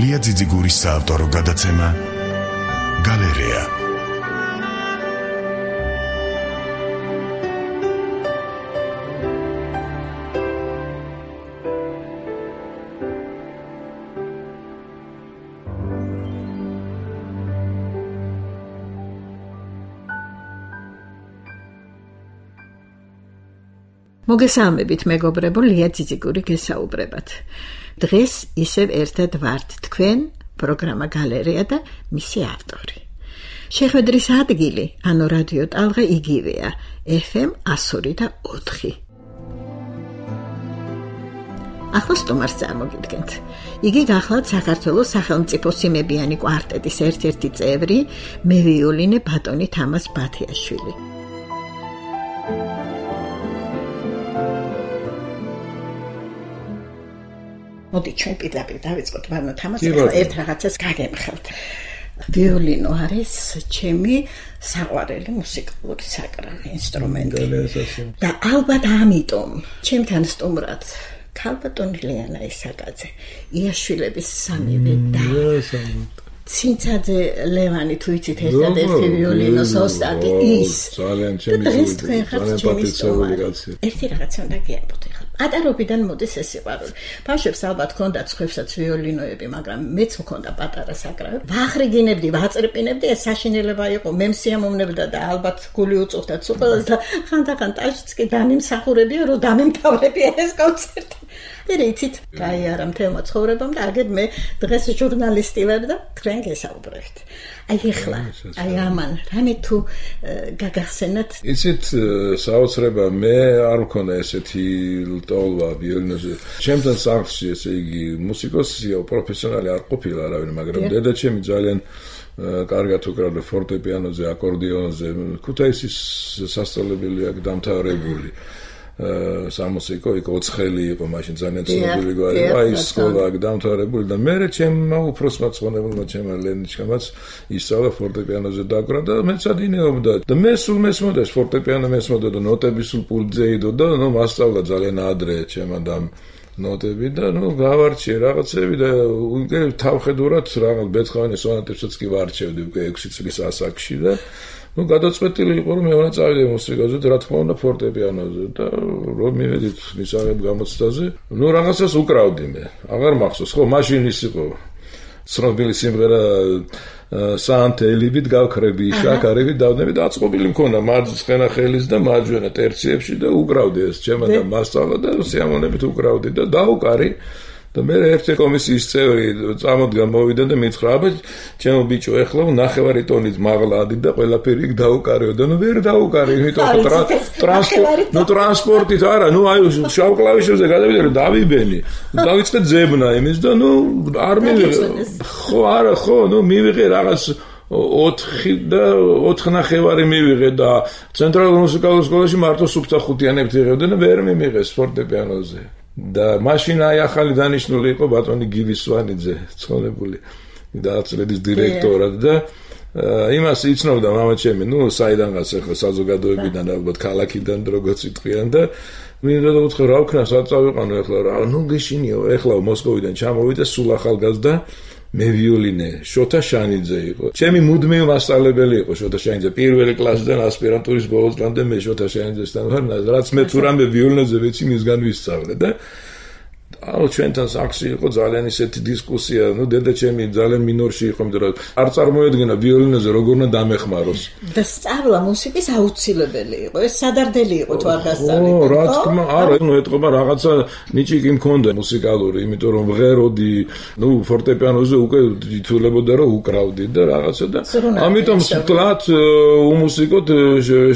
ლია ძიძიგურის საავტორო გადაცემა გალერეა. მოგესალმებით მეგობრებო, ლია ძიძიგური გესაუბრებათ. დღეს ისევ ერთად ვართ თქვენ, პროგრამა გალერეა და მისი ავტორი. შეხვედრის ადგილი, ანუ რადიო ტალღა იგივეა, FM 102.4. ახლა სტუმარს წარმოგიდგენთ. იგი გახლავთ საქართველოს სახელმწიფო სიმებიანი კვარტეტის ერთ-ერთი წევრი, მევიოლინე ბატონი თამაზ ბათიაშვილი. მოდი ჩვენ პირდაპირ დავიწყოთ, ბანო თამაზ, ერთ რაღაცას გაგემხელთ. ვიოლინო არის ჩემი საყვარელი მუსიკალური საკრავი ინსტრუმენტი. და ალბათ ამიტომ ჩემთან სტუმრად ქალბატონი ლიანა ისაკაძე, იაშვილების სამივე და ცინცაძე ლევანი, თუ იცით ერთადერთი ვიოლინოს ოსტატი ის. ძალიან ჩემი ერთი რაღაცა უნდა გიარბოთ ახლა. პატარობიდან მოდის ეს სიყვარული. ბავშვებს ალბათ ჰქონდათ სხვებსაც ვიოლინოები, მაგრამ მეც მქონდა პატარა საკრავი. ვახრიგინებდი, ვაწრპინებდი, ეს საშინელება იყო, მე მსიამოვნებდა და ალბათ გული უწუხდა უყველას და ხანდახან ტაჟიც კი დამიმსახურებია, რომ დამიმთავრებია ეს კონცერტი. იცით, გაიარა მთელმა ცხოვრებამ და აგერ მე დღეს ჟურნალისტი ვარ და თქვენ გესაუბრებთ. ახლა, ამან, რამე თუ გაგახსენათ? იცით, საოცრება მე არ მქონდა ესეთი ლტოლვა ვიოლინოზე. ჩემთან სახლში, ესე იგი, მუსიკოსია, პროფესიონალი არ ყოფილა არავინ, მაგრამ დედაჩემი ძალიან კარგად უკრავდა ფორტეპიანოზე, აკორდეონზე. ქუთაისის სასწავლებელი აქ დამთავრებული. სამუსიკო იქ ოცხელი იყო მაშინ ძალიან ცნობილი გვარი. აი სკოლა აქ დამთავრებული და მე ჩემმა უფროსმა ცხონებულმა ჩემმა ლენიჩკამაც ისწავლა ფორტეპიანოზე დაკვრა და მეცადინეობდა. და მე სულ მესმოდა ფორტეპიანო მესმოდა და ნოტები სულ პულტზე იდო და მასწავლა ძალიან ადრე ჩემმა და ნოტები და გავარჩიე რაღაცები და უკვე თავხედურად რაღაც ბეცხოვენის სონატებსაც კი ვარჩევდი უკვე 6 წლის ასაკში და გადაწყვეტილი იყო რომ მე უნდა წავიდე მუსიკაზე და რა თქმა უნდა ფორტეპიანოზე და რომ მივედით მისაღებ გამოცდაზე რაღაცას უკრავდი მე აღარ მახსოვს ხო მაშინ ის იყო ცნობილი სიმღერა საანთელივით გავქრები შაქარებით დავდნები და აწყობილი მქონდა მარცხენა ხელის და მარჯვენა ტერციებში და უკრავდი ეს ჩემმა და მასწავლა და სიამოვნებით უკრავდი და დაუკარი და მე ერთი კომისიის წევრი წამოდგა მოვიდა და მითხრა აბა ჩემო ბიჭო ეხლა ნახევარი ტონით მაღლა ადი და ყველაფერი იქ დაუკარეო და ვერ დაუკარე იმიტომ ტრანსპორტით არა აი შავ კლავიშებზე გადავიდე რომ დავიბენი დავიწყე ძებნა იმის და არ მივიღე ხო არა ხო მივიღე რაღაც 4 ნახევარი მივიღე და ცენტრალურ მუსიკალურ სკოლაში მარტო სუფთა ხუთიანებს იღებდნენ და ვერ მიმიღეს ფორტეპიანოზე და მაშინ აი ახალი დანიშნული იყო ბატონი გივი სვანიძე ცხონებული დააწლედის დირექტორად და იმას იცნობდა მამაჩემი საიდანღაც ახლა საზოგადოებიდან ალბათ ქალაქიდან როგორც იტყვიან და მინდა და უთხრა რა ვქნა სად წავიყვანო ახლა რა გეშინიო ახლა მოსკოვიდან ჩამოვიდა სულ ახალგაზრდა მე ვიოლინე შოთა შანიძე იყო ჩემი მუდმივი მასწავლებელი იყო შოთა შანიძე პირველი კლასიდან ასპირანტურის ბოლოსდან მე შოთა შანიძესთან ვარ რაც მე თუ რამე ვიოლინოზე ვიცი მისგან ვისწავლე და ჩვენთან სახლში იყო ძალიან ისეთი დისკუსია დედაჩემი ძალიან მინორში იყო იმიტომ რომ არ წარმოედგენა ვიოლინოზე როგორ უნდა დამეხმაროს და სწავლა მუსიკის აუცილებელი იყო ეს სადარდელი იყო თუ არ გასწავლე რა თქმა არა ეტყობა რაღაცა ნიჭი მქონდა მუსიკალური იმიტომ რომ ვღეროდი ფორტეპიანოზე უკვე თვითლებოდა რომ უკრავდი და რაღაცა და ამიტომ სკლად უმუსიკოდ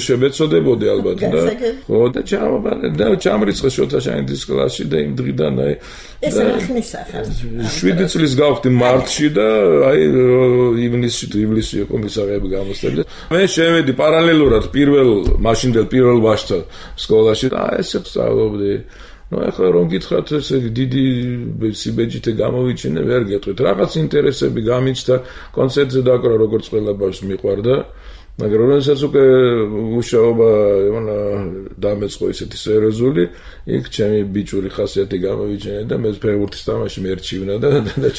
შევეცოდებოდი ალბათ და ხო და ჩამრიცხე შოთა შანიძის კლასში და იმ დღიდან ეს ახნის ახალ 7 წლის გავხდი მარტში და აი ივლისი იყო მისაღები გამოსწრებული მე შევედი პარალელურად მაშინდელ პირველ ვაჟთა სკოლაში და ესე ვსწავლობდი ახლა რომ გითხრათ ესე დიდი სიბეჯითე გამოვიჩინე ვერ გეტყვით რაღაც ინტერესები გამიჩნდა კონცერტზე დაკვრა როგორც ყველა ბავშვს მიყვარდა მაგრამ როდესაც უკვე მუშაობა დამეწყო ისეთი სერიოზული, იქ ჩემი ბიჭური ხასიათი გამოვიჩენე და მე ფეხბურთის თამაში მერჩივნა და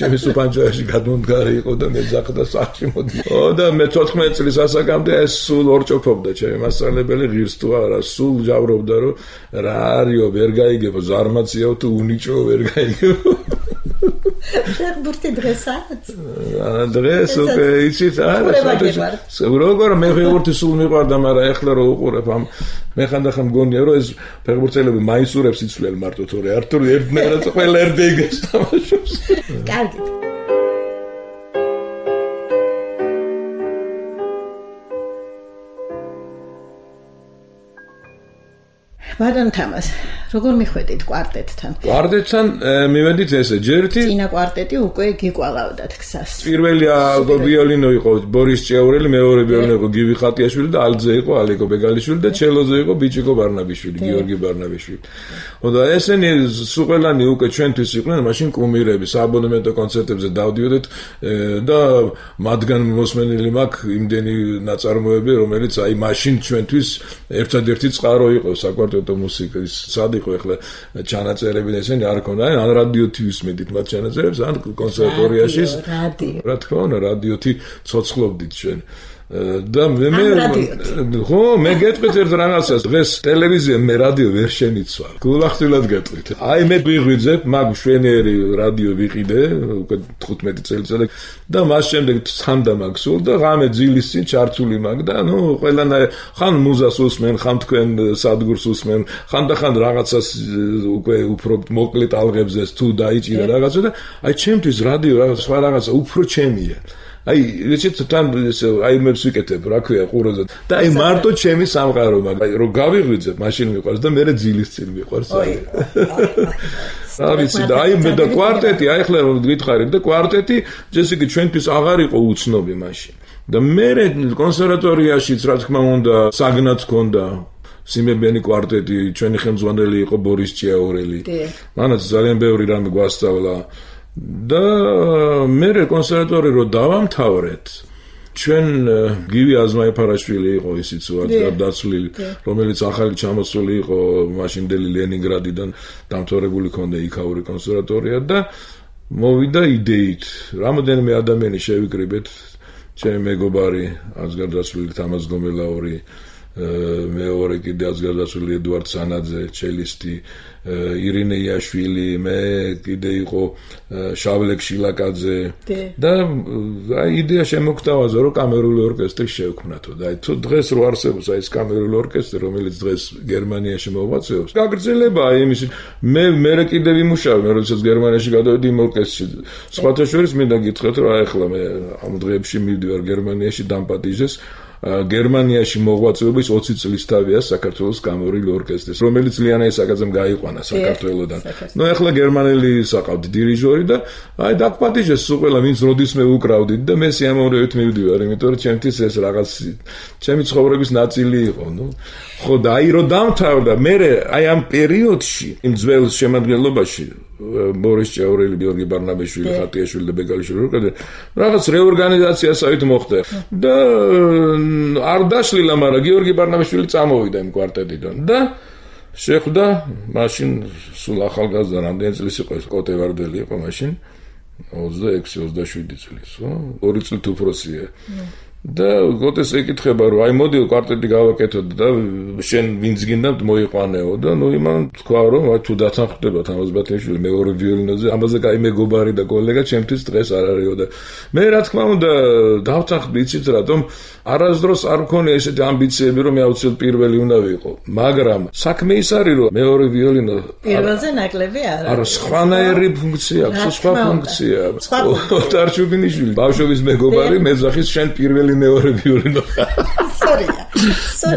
ჩემი სუპანჯოში გადმომდგარი იყო და მე ძახდა სახში მოდი. და მე 14 წლის ასაკამდე ეს სულ ორჭოფობდა ჩემი მასწავლებელი ღირს თუ არა, სულ ჯავრობდა რომ რა არისო ვერ გაიგებო, ზარმაციაო თუ უნიჭო ვერ გაიგებო. ფეხბურთი დღესაც? დღეს უკვე იცით არა, როგორ მე ფეხბურთი სულ მიყვარდა, მაგრამ ეხლა რო უყურებ ამ მე ხანდახან მგონია რომ ეს ფეხბურთელები მაისურებს იცვლიან მარტო თორე არ თუ ერთნაირად ყველა ერდეგეს თამაშობს. კარგი. ბატონ თამას, როგორ მიხვედით კვარტეტთან? კვარტეტთან მივედით ესე, ჯერთი წინა კვარტეტი უკვე გიყვალავდათ ქსას. პირველი ვიოლინო იყო ბორის ჭიაურელი, მეორე ვიოლინო იყო გივი ხატიაშვილი და ალტზე იყო ალეკო ბეგალიშვილი და ჩელოზე იყო ბიჭიკო ბარნაბიშვილი, გიორგი ბარნაბიშვილი. და ესენი სუყელანი უკვე ჩვენთვის იყვნენ, მაშინ კუმირები, სააბონემენტო კონცერტებზე დავდიოდეთ და მათგან მოსმენილი მაქვს იმდენი ნაწარმოები, რომელიც აი მაშინ ჩვენთვის ერთადერთი წყარო იყო საკვარტეტო მუსიკის სად იყო ახლა ჩანაწერები ესენი არ ქონდა ან რადიოთი ვისმენდით მათ ჩანაწერებს ან კონსერვატორიაში რა თქმა უნდა რადიოთი ცოცხლობდით ჩვენ და ხო მე გეტყვით ერთ რაღაცას დღეს ტელევიზია მე რადიო ვერ შემიცვალ გულახდილად გეტყვით აი მე ვიღვიძებ მაგ შვენიერი რადიო ვიყიდე უკვე 15 წელიწადი და მას შემდეგ სანდა მაგ სულ და ღამე ძილის წინ ჩართული მაგ და ნუ ყველანაირ ხან მუზას უსმენ ხან თქვენ სადგურს უსმენ ხანდახან რაღაცას უკვე უფრო მოკლე ტალღებზე თუ დაიჭირა რაღაცა და აი ჩემთვის რადიო რაღაც სხვა რაღაცა უფრო ჩემია აი ისეთ თან აი მე ვსიკეთებ რა ქვია ყუროზე და აი მარტო ჩემი სამყარო მაგრამ რომ გავიღვიძებ მაშინ მიყვარს და მე ძილის წინ მიყვარს ავიცი და აი მე და კვარტეტი აი ხლა რომ გითხარით და კვარტეტი ესე იგი ჩვენთვის აღარ იყო უცნობი მაშინ და მე კონსერვატორიაშიც რა თქმა უნდა საგნად ქონდა სიმებიანი კვარტეტი ჩვენი ხელმძღვანელი იყო ბორის ჭიაურელი მანაც ძალიან ბევრი რამე გვასწავლა და მე კონსერვატორი რო დავამთავრეთ ჩვენ გივი აზმაიფარაშვილი იყო ისიც გარდაცვლილი რომელიც ახალი ჩამოსული იყო მაშინდელი ლენინგრადიდან დამთავრებული ქონდა იქაური კონსერვატორია და მოვიდა იდეით რამოდენიმე ადამიანი შევიკრიბეთ ჩემი მეგობარი აზგარდაცვლილი თამაზ გომელაური მეორე კიდე აზგარდაცვლილი ედუარდ სანაძე ჩელისტი ირინე იაშვილი მე კიდე იყო შავლეკ შილაკაძე და აი იდეა შემოგთავაზა რომ კამერული ორკესტრი შევქმნათო და აი თუ დღეს რო არსებობს აი ეს კამერული ორკესტრი რომელიც დღეს გერმანიაში მოღვაწეობს გაგრძელებაა იმის მე კიდე ვიმუშავე მე როდესაც გერმანიაში გადავედი იმ ორკესტრში სხვათა შორის მინდა გითხრათ რომ აი ახლა მე ამ დღეებში მივდივარ გერმანიაში დამპატიჟეს გერმანიაში მოღვაწეობის 20 წლის თავია საქართველოს კამერული ორკესტრის რომელიც ლიანა ისაკაძემ გაიყვანა საქართველოსდან. ნუ ახლა გერმანელი საყავდი დირიჟორი და აი დაგპატიჟეს სულ ყველა ვინც როდისმე უკრავდით და მე სიამოვნებით მივდივარ, იმიტომ რომ ჩემთვის ეს რაღაც ჩემი ცხოვრების ნაწილი იყო, ნუ ხო და აი რომ დამთავრდა მე აი ამ პერიოდში იმ ძველ შემადგენლობაში ბორის ჭიაურელი, გიორგი ბარნაბიშვილი, ხატიაშვილი და ბეგალიშვილი როკადე რაღაც რეორგანიზაცია საერთოდ მოხდა და არ დაშლილა, მაგრამ გიორგი ბარნაბიშვილი წამოვიდა იმ კვარტეტიდან და შეხვდა მაშინ სულ ახალგაზრდა რამდენი წლის იყო ეს კოტე ვარდელი იყო მაშინ 26-27 წლის, ხო? 2 წლით უფროსია. და გოტეს ეკითხება რომ აი მოდი კვარტეტი გავაკეთოთ და შენ ვინც გინდა მოიყვანეო და ნუ იმან თქვა რომ აი თუ დათანხმდება თამაზბათიაშვილი მეორე ვიოლინოზე ამაზე კაი მეგობარი და კოლეგა ჩემთვის დღეს არ არისო და მე რა თქმა უნდა დავთანხმდი იცით რატომ არასდროს არ მქონია ესეთი ამბიციები რომ მე აუცილებლად პირველი უნდა ვიყო მაგრამ საქმე ის არის რომ მეორე ვიოლინო პირველზე ნაკლები არა სხვანაირი ფუნქცია აქვს სხვა ფუნქცია ოთარ ჩუბინიშვილი ბავშვობის მეგობარი მეძახის შენ პირველი მეორე ვიოლინო სორია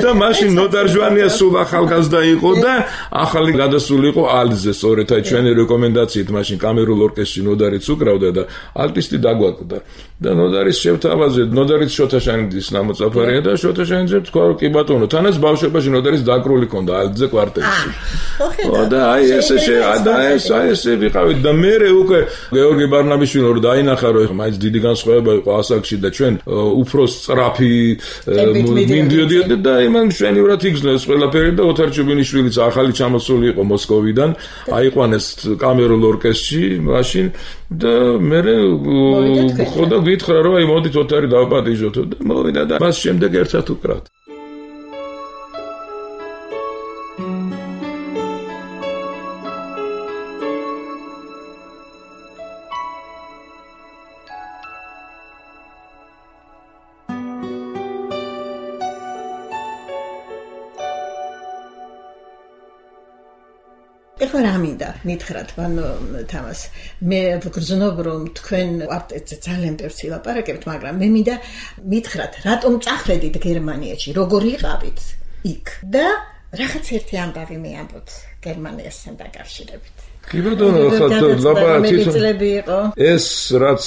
და მაშინ ნოდარჯვანია სულ ახალგაზრდა იყო და ახალი გადასული იყო ალტზე სწორედ აი ჩვენი რეკომენდაციით მაშინ კამერულ ორკესტრში ნოდარიც უკრავდა და ალტისტი დაგვაკვდა და ნოდარის შევთავაზეთ ნოდარის შოთაშანიძის ნამოწაფარია და შოთაშანიძე თქვა რომ კი ბატონო თანაც ბავშვობაში ნოდარის დაკრული ქონდა ალტზე კვარტეტში და აი ესე ვიყავით და მე უკვე გეორგი ბარნაბიშვილი რომ დაინახა რომ მაინც დიდი განსხვავება იყო ასაკში და ჩვენ უფრო უფრო სწრაფი მინდიოდიოდა და იმან მშვენივრად იგრძნეს ყველაფერი და ოთარ ჩუბინიშვილიც ახალი ჩამოსული იყო მოსკოვიდან, აიყვანეს კამერულ ორკესტრში მაშინ და მე ხოდა გითხრა რომ აი მოდით ოთარი დავაპატიჟოთ და მოვიდა და მას შემდეგ ერთად უკრავთ. ეხლა რა მინდა მითხრათ თამას მე გრძნობ რომ თქვენ კვარტეტზე ძალიან ბევრს ილაპარაკებთ მაგრამ მე მინდა მითხრათ რატომ წახვედით გერმანიაში როგორ იყავით იქ და რაღაც ერთი ამბავი მეამბობთ გერმანიასთან დაკავშირებით კი ბატონო ეს რაც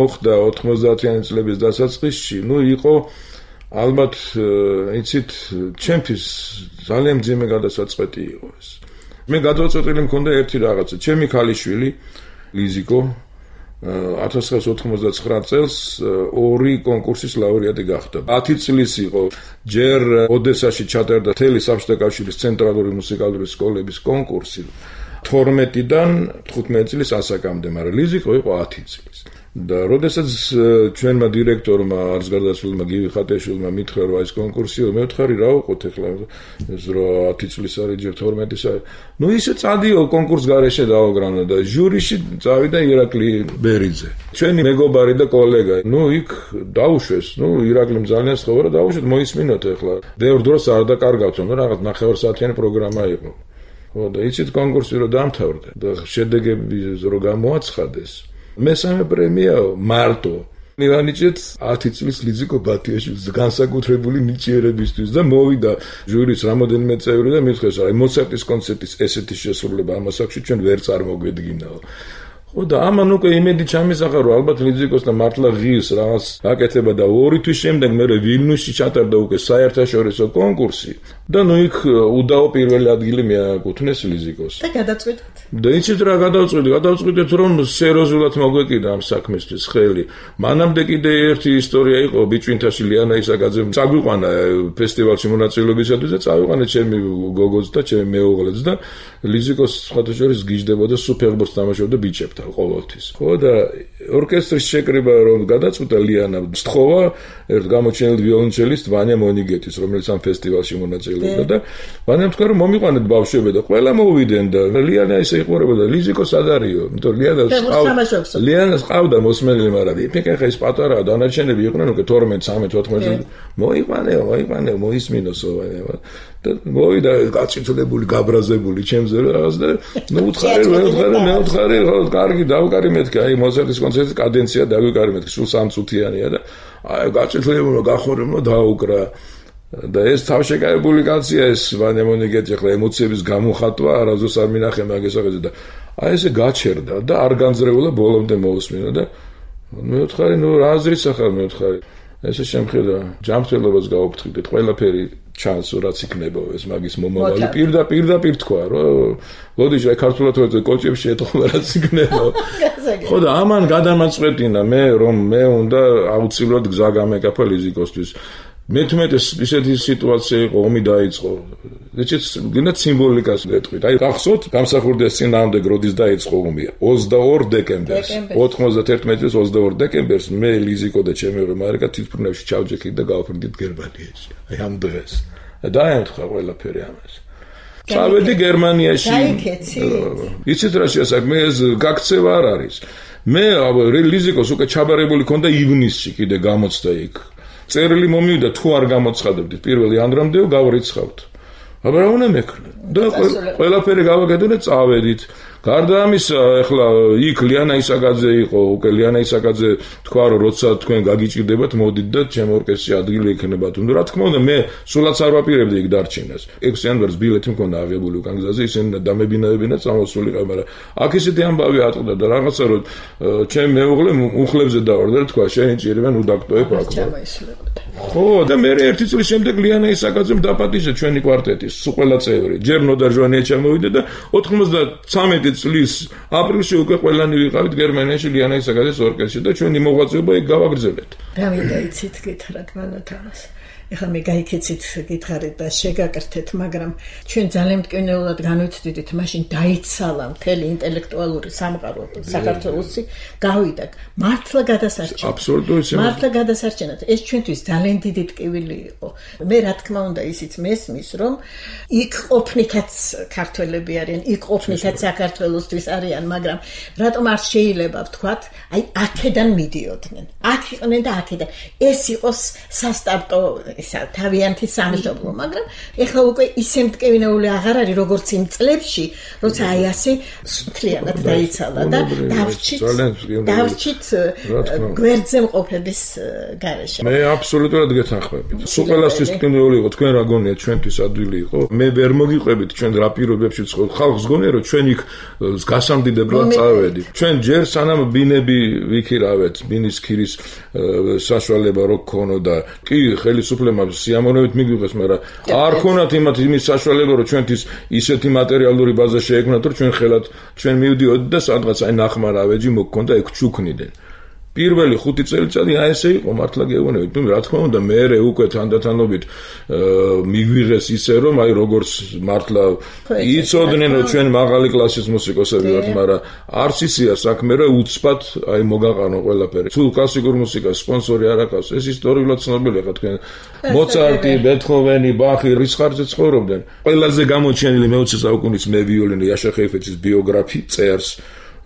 მოხდა 90-იანი წლების დასაწყისში იყო ალბათ იცით ჩემთვის ძალიან მძიმე გადასაწყვეტი იყო ეს მე გადაწყვეტილი მქონდა ერთი რაღაცა. ჩემი ქალიშვილი ლიზიკო 1999 წელს ორი კონკურსის ლაურეატი გახდა. 10 წლის იყო. ჯერ ოდესაში ჩატარდა თელი საბჭოთა კავშირის ცენტრალური მუსიკალური სკოლების კონკურსი. 12-დან 15 წლის ასაკამდე, მაგრამ ლიზიკო იყო 10 წლის. და როდესაც ჩვენმა დირექტორმა არც გარდაცვლილმა გივი ხატეშვილმა მითხრა რომ ეს კონკურსია მე ვთხარი რა ვიყოთ ახლა ეს რო 10 წლის არის ჯერ 12-ის არის ნუ ისე წადიო კონკურს გარეშე დავაგრანა და ჟურიში წავიდა ირაკლი ბერიძე ჩვენი მეგობარი და კოლეგა ნუ იქ დაუშვეს ნუ ირაკლიმ ძალიან სწორა და დაუშვეთ მოისმინოთ ახლა ბევრ დროს არ დაკარგავთ ნუ რაღაც 9 საათიანი პროგრამა იყო ხო და იცით კონკურსი რო დამთავრდა და შედეგები რო გამოაცხადეს მესამე პრემიაო მარტო მივანიჭეთ 10 წლის ლიზიკო ბათიაშვილს განსაკუთრებული ნიჭიერებისთვის და მოვიდა ჟურის რამოდენიმე წევრი და მითხრეს აი მოცარტის კონცერტის ესეთი შესრულება ამ ასაკში ჩვენ ვერ წარმოგვედგინაო ხო და ამან უკვე იმედი ჩამისახა რომ ალბათ ლიზიკოსთან მართლა ღირს რაღაც აკეთება და 2 თვის შემდეგ მე ვილნიუსში ჩატარდა უკვე საერთაშორისო კონკურსი და ნუ იქ უდაო პირველი ადგილი მიაკუთვნეს ლიზიკოს და გადაწყვეტეთ და იცით რა გადავწყვიტეთ რომ სერიოზულად მოგვეკიდა ამ საქმისთვის ხელი მანამდე კიდე ერთი ისტორია იყო ბიჭვინთაში ლიანა ისაკაძემ წაგვიყვანა ფესტივალში მონაწილეობისათვის და წავიყვანა ჩემი გოგოც და ჩემი მეუღლეც და ლიზიკოს სხვადასხვა გიждდებოდა სუფერბოს თამაშობდა ბიჭებთან ყოველთვის ხო და ორკესტრის შეკრება რომ გადაწყვიტა ლიანა სთხოვა ერთ გამოჩენილ ვიოლონჩელისტ ვანია მონიგეთის რომელიც ამ ფესტივალში მონაწილეობდა და ვანიამ თქვა რომ მომიყვანეთ ბავშვები და ყველა მოვიდნენ და ლიანა ისე იყურებოდა ლიზიკო სად არისო იმიტომ ლიანას ყავდა მოსმენელი მაგრამ იფიქე ეს პატარა დანარჩენები იყვნენ უკვე 12-13 მოიყვანე მოისმინოსო და მოვიდა გაწითლებული გაბრაზებული ჩემზე რაღაც და ნუ უთხარი მე უთხარი კარგი დავკარი მეთქი აი მოზარდის კონცერტის კადენცია დავიკარი მეთქი სულ 3 წუთიანია და აი გაწითლებულო გახორებულო დაუკრა და ეს თავშეკავებული კაცია ეს ვანია მონიგეთი ახლა ემოციების გამოხატვა არასდროს არ მინახე მაგესაღეზე და აი ესე გაჩერდა და არ განძრეულა ბოლომდე მოусმინა და მე ვთხარი ნუ რა აზრიც ახლა მე ვთხარი ესე შემხედა ჯანმრთელობას გაუფრთხილდეთ ყველაფერი ჩანს რაც იქნება ეს მაგის მომავალი პირდაპირ თქვა რომ ლოდიში აი ქართულად ვეძე კოჭებში ეთქვა რაც იქნება ხო და ამან გადამაწყვეტინა მე რომ მე უნდა აუცილებლად გზა გამეკაფა ლიზიკოსთვის მეთმეტეს ისეთი სიტუაცია იყო ომი დაიწყო ეცეთ გინდა სიმბოლიკას გეტყვით აი გახსოვთ გამსახურდეს წინააღმდეგ როდის დაიწყო ომი 22 დეკემბერს 91 წლის 22 დეკემბერს მე ლიზიკო და ჩემი მარიკა თვითმფრინავში ჩავჯექით და გავფრინდით გერმანიაში აი ამ დღეს დაემთხვა ყველაფერი ამას წავედი გერმანიაში იცით რა შეასაქმე ეს გაქცევა არ არის მე ლიზიკოს უკვე ჩაბარებული ქონდა ივნისში კიდე გამოცდა იქ წერილი მომივიდა თუ არ გამოცხადებდით პირველი ანდრამდეო გავრიცხავთ აბა რა უნდა მეკრა და ყველაფერი გავაკეთე და წავედით გარდა ამისა ეხლა იქ ლიანა ისაკაძე იყო უკვე ლიანა ისაკაძე თქვა რომ როცა თქვენ გაგიჭირდებათ მოდით და ჩემ ორკესტრში ადგილი ექნება თუნდაც რა თქმა უნდა მე სულაც არ ვაპირებდი იქ დარჩენას 6 იანვარს ბილეთი მქონდა აღებული უკან გზაზე ისინი დამებინებინა წამოსულიყავ მაგრამ აქ ისეთი ამბავი ატყდა და რაღაცა რომ ჩემ მეუღლე უხლებზე დავარდა და თქვა შენ ჭირებენ უდაქტოებ აქ ხო, და მე ერთი წლის შემდეგ ლიანა ისაკაძემ დაპატიჟა ჩვენი კვარტეტის ყველა წევრი. ჯერ ნოდარ ჟვანია ჩამოვიდა და 93 წლის აპრილში უკვე ყველანი ვიყავით გერმანიაში ლიანა ისაკაძის ორკესტრში და ჩვენი მოღვაწეობა იქ გავაგრძელებთ. რა მინდა იცით გითხრათ მანათამას. ეხლა მე გაიქეცით გითხარით და შეგაკრთეთ, მაგრამ ჩვენ ძალიან მტკივნეულად განვიცდით, მაშინ დაიცალა მთელი ინტელექტუალური სამყარო საქართველოსი, გავიდა მართლა გადასარჩენად. აბსოლუტურად. მართლა გადასარჩენად. ეს ჩვენთვის ძალიან დიდი ტკივილი იყო. მე რა თქმა უნდა ისიც მესმის, რომ იქ ყოფნითაც ქართველები არიან, იქ ყოფნითაც საქართველოსთვის არიან, მაგრამ რატომ არ შეიძლება ვთქვათ, აი აქედან მიდიოდნენ. აქ იყვნენ და აქედან. ეს იყოს სასტარტო თავიანთი სამშობლო, მაგრამ ეხლა უკვე ისე მტკივნეული აღარ არის, როგორც იმ წლებში, როცა აი ასე მთლიანად დაიცალა და დავრჩით გვერდზე მყოფების გარეშე. მე აბსოლუტურად გეთანხმებით. სულ ყველასთვის მტკივნეული იყო, თქვენ რა გონიათ, ჩვენთვის ადვილი იყო. მე ვერ მოგიყვებით ჩვენ რა პირობებში ვცხოვრობთ. ხალხს გონია, რომ ჩვენ იქ გასამდიდებლად წავედით. ჩვენ ჯერ სანამ ბინები ვიქირავეთ, ბინის ქირის საშუალება რო გქონოდა, კი ხელისუფლებამ სიამოვნებით მიგვიღეს, მაგრამ არ ქონათ იმის საშუალება, რომ ჩვენთვის ისეთი მატერიალური ბაზა შეექმნათ, რომ ჩვენ ხელად ჩვენ მივდიოდით და სადღაც აი ნახმარავეჯი მოგქონდა ეგ ჩუქნიდნენ. პირველი 5 წელიწადი აი ესე იყო, მართლა გეუბნებით, თუ რა თქმა უნდა მე უკვე თანდათანობით მიგვიღეს ისე, რომ აი როგორც მართლა იცოდნენ, რომ ჩვენ მაღალი კლასის მუსიკოსები ვართ, მაგრამ არც ისია საქმე, რომ უცბად აი მოგაყანო ყველაფერი. თუ კლასიკურ მუსიკას სპონსორი არ აქვს, ეს ისტორიულად ცნობილია, ხა თქვენ მოცარტი, ბეთჰოვენი, ბახი რის ხარჯზე ცხოვრობდნენ. ყველაზე გამოჩენილი მე-20 საუკუნის მე ვიოლინო იაშა ხაიფეცის ბიოგრაფი წერს,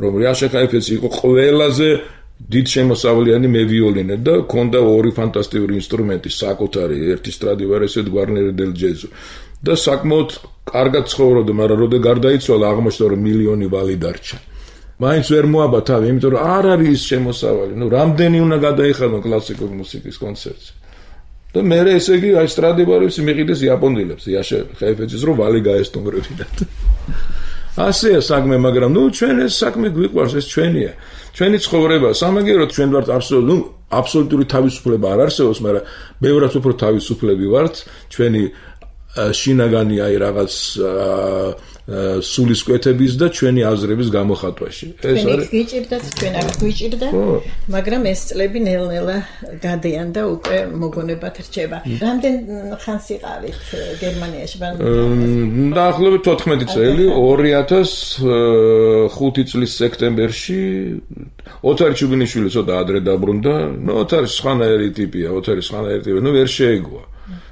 რომ იაშა ხაიფეცი იყო ყველაზე დიდ შემოსავლიანი მე ვიოლინე და ქონდა ორი ფანტასტიკური ინსტრუმენტი, საკუთარი, ერთი სტრადივარისი და გვარნერი დელ ჯეზო. და საკმაოდ კარგად ცხოვრობდა, მაგრამ როდა გარდაიცვალა, აღმოჩნდა რომ მილიონი ვალი დარჩა. მაინც ვერ მოაბა თავი, იმიტომ რომ არ არის ის შემოსავალი. ნუ რამდენი უნდა გადაიხადონ კლასიკური მუსიკის კონცერტზე. და მე ესე იგი აი სტრადივარისი მიყიდეს იაპონელებს, იაშა ხაიფეცის რომ ვალი გაესტუმრებინათ. ასეა საქმე, მაგრამ ნუ ჩვენ ეს საქმე გვიყვარს, ეს ჩვენია. ჩვენი ცხოვრება, სამაგიეროდ ჩვენ ვართ აბსოლუტური თავისუფლება არ არსებობს, მაგრამ ბევრად უფრო თავისუფლები ვართ, ჩვენი შინაგანი აი რაღაც სულისკვეთების და ჩვენი აზრების გამოხატვაში. ეს არის გვიჭირდათ, ჩვენ არ გვიჭირდა, მაგრამ ეს წლები ნელ-ნელა გადიან და უკვე მოგონებათ რჩება. რამდენ ხანს იყავით გერმანიაში? დაახლოებით 14 წელი, 2005 წლის სექტემბერში ოთარ ჩუბინიშვილი ცოტა ადრე დაბრუნდა. ნუ ოთარი სხვანაირი ტიპია, ნუ ვერ შეეგოა.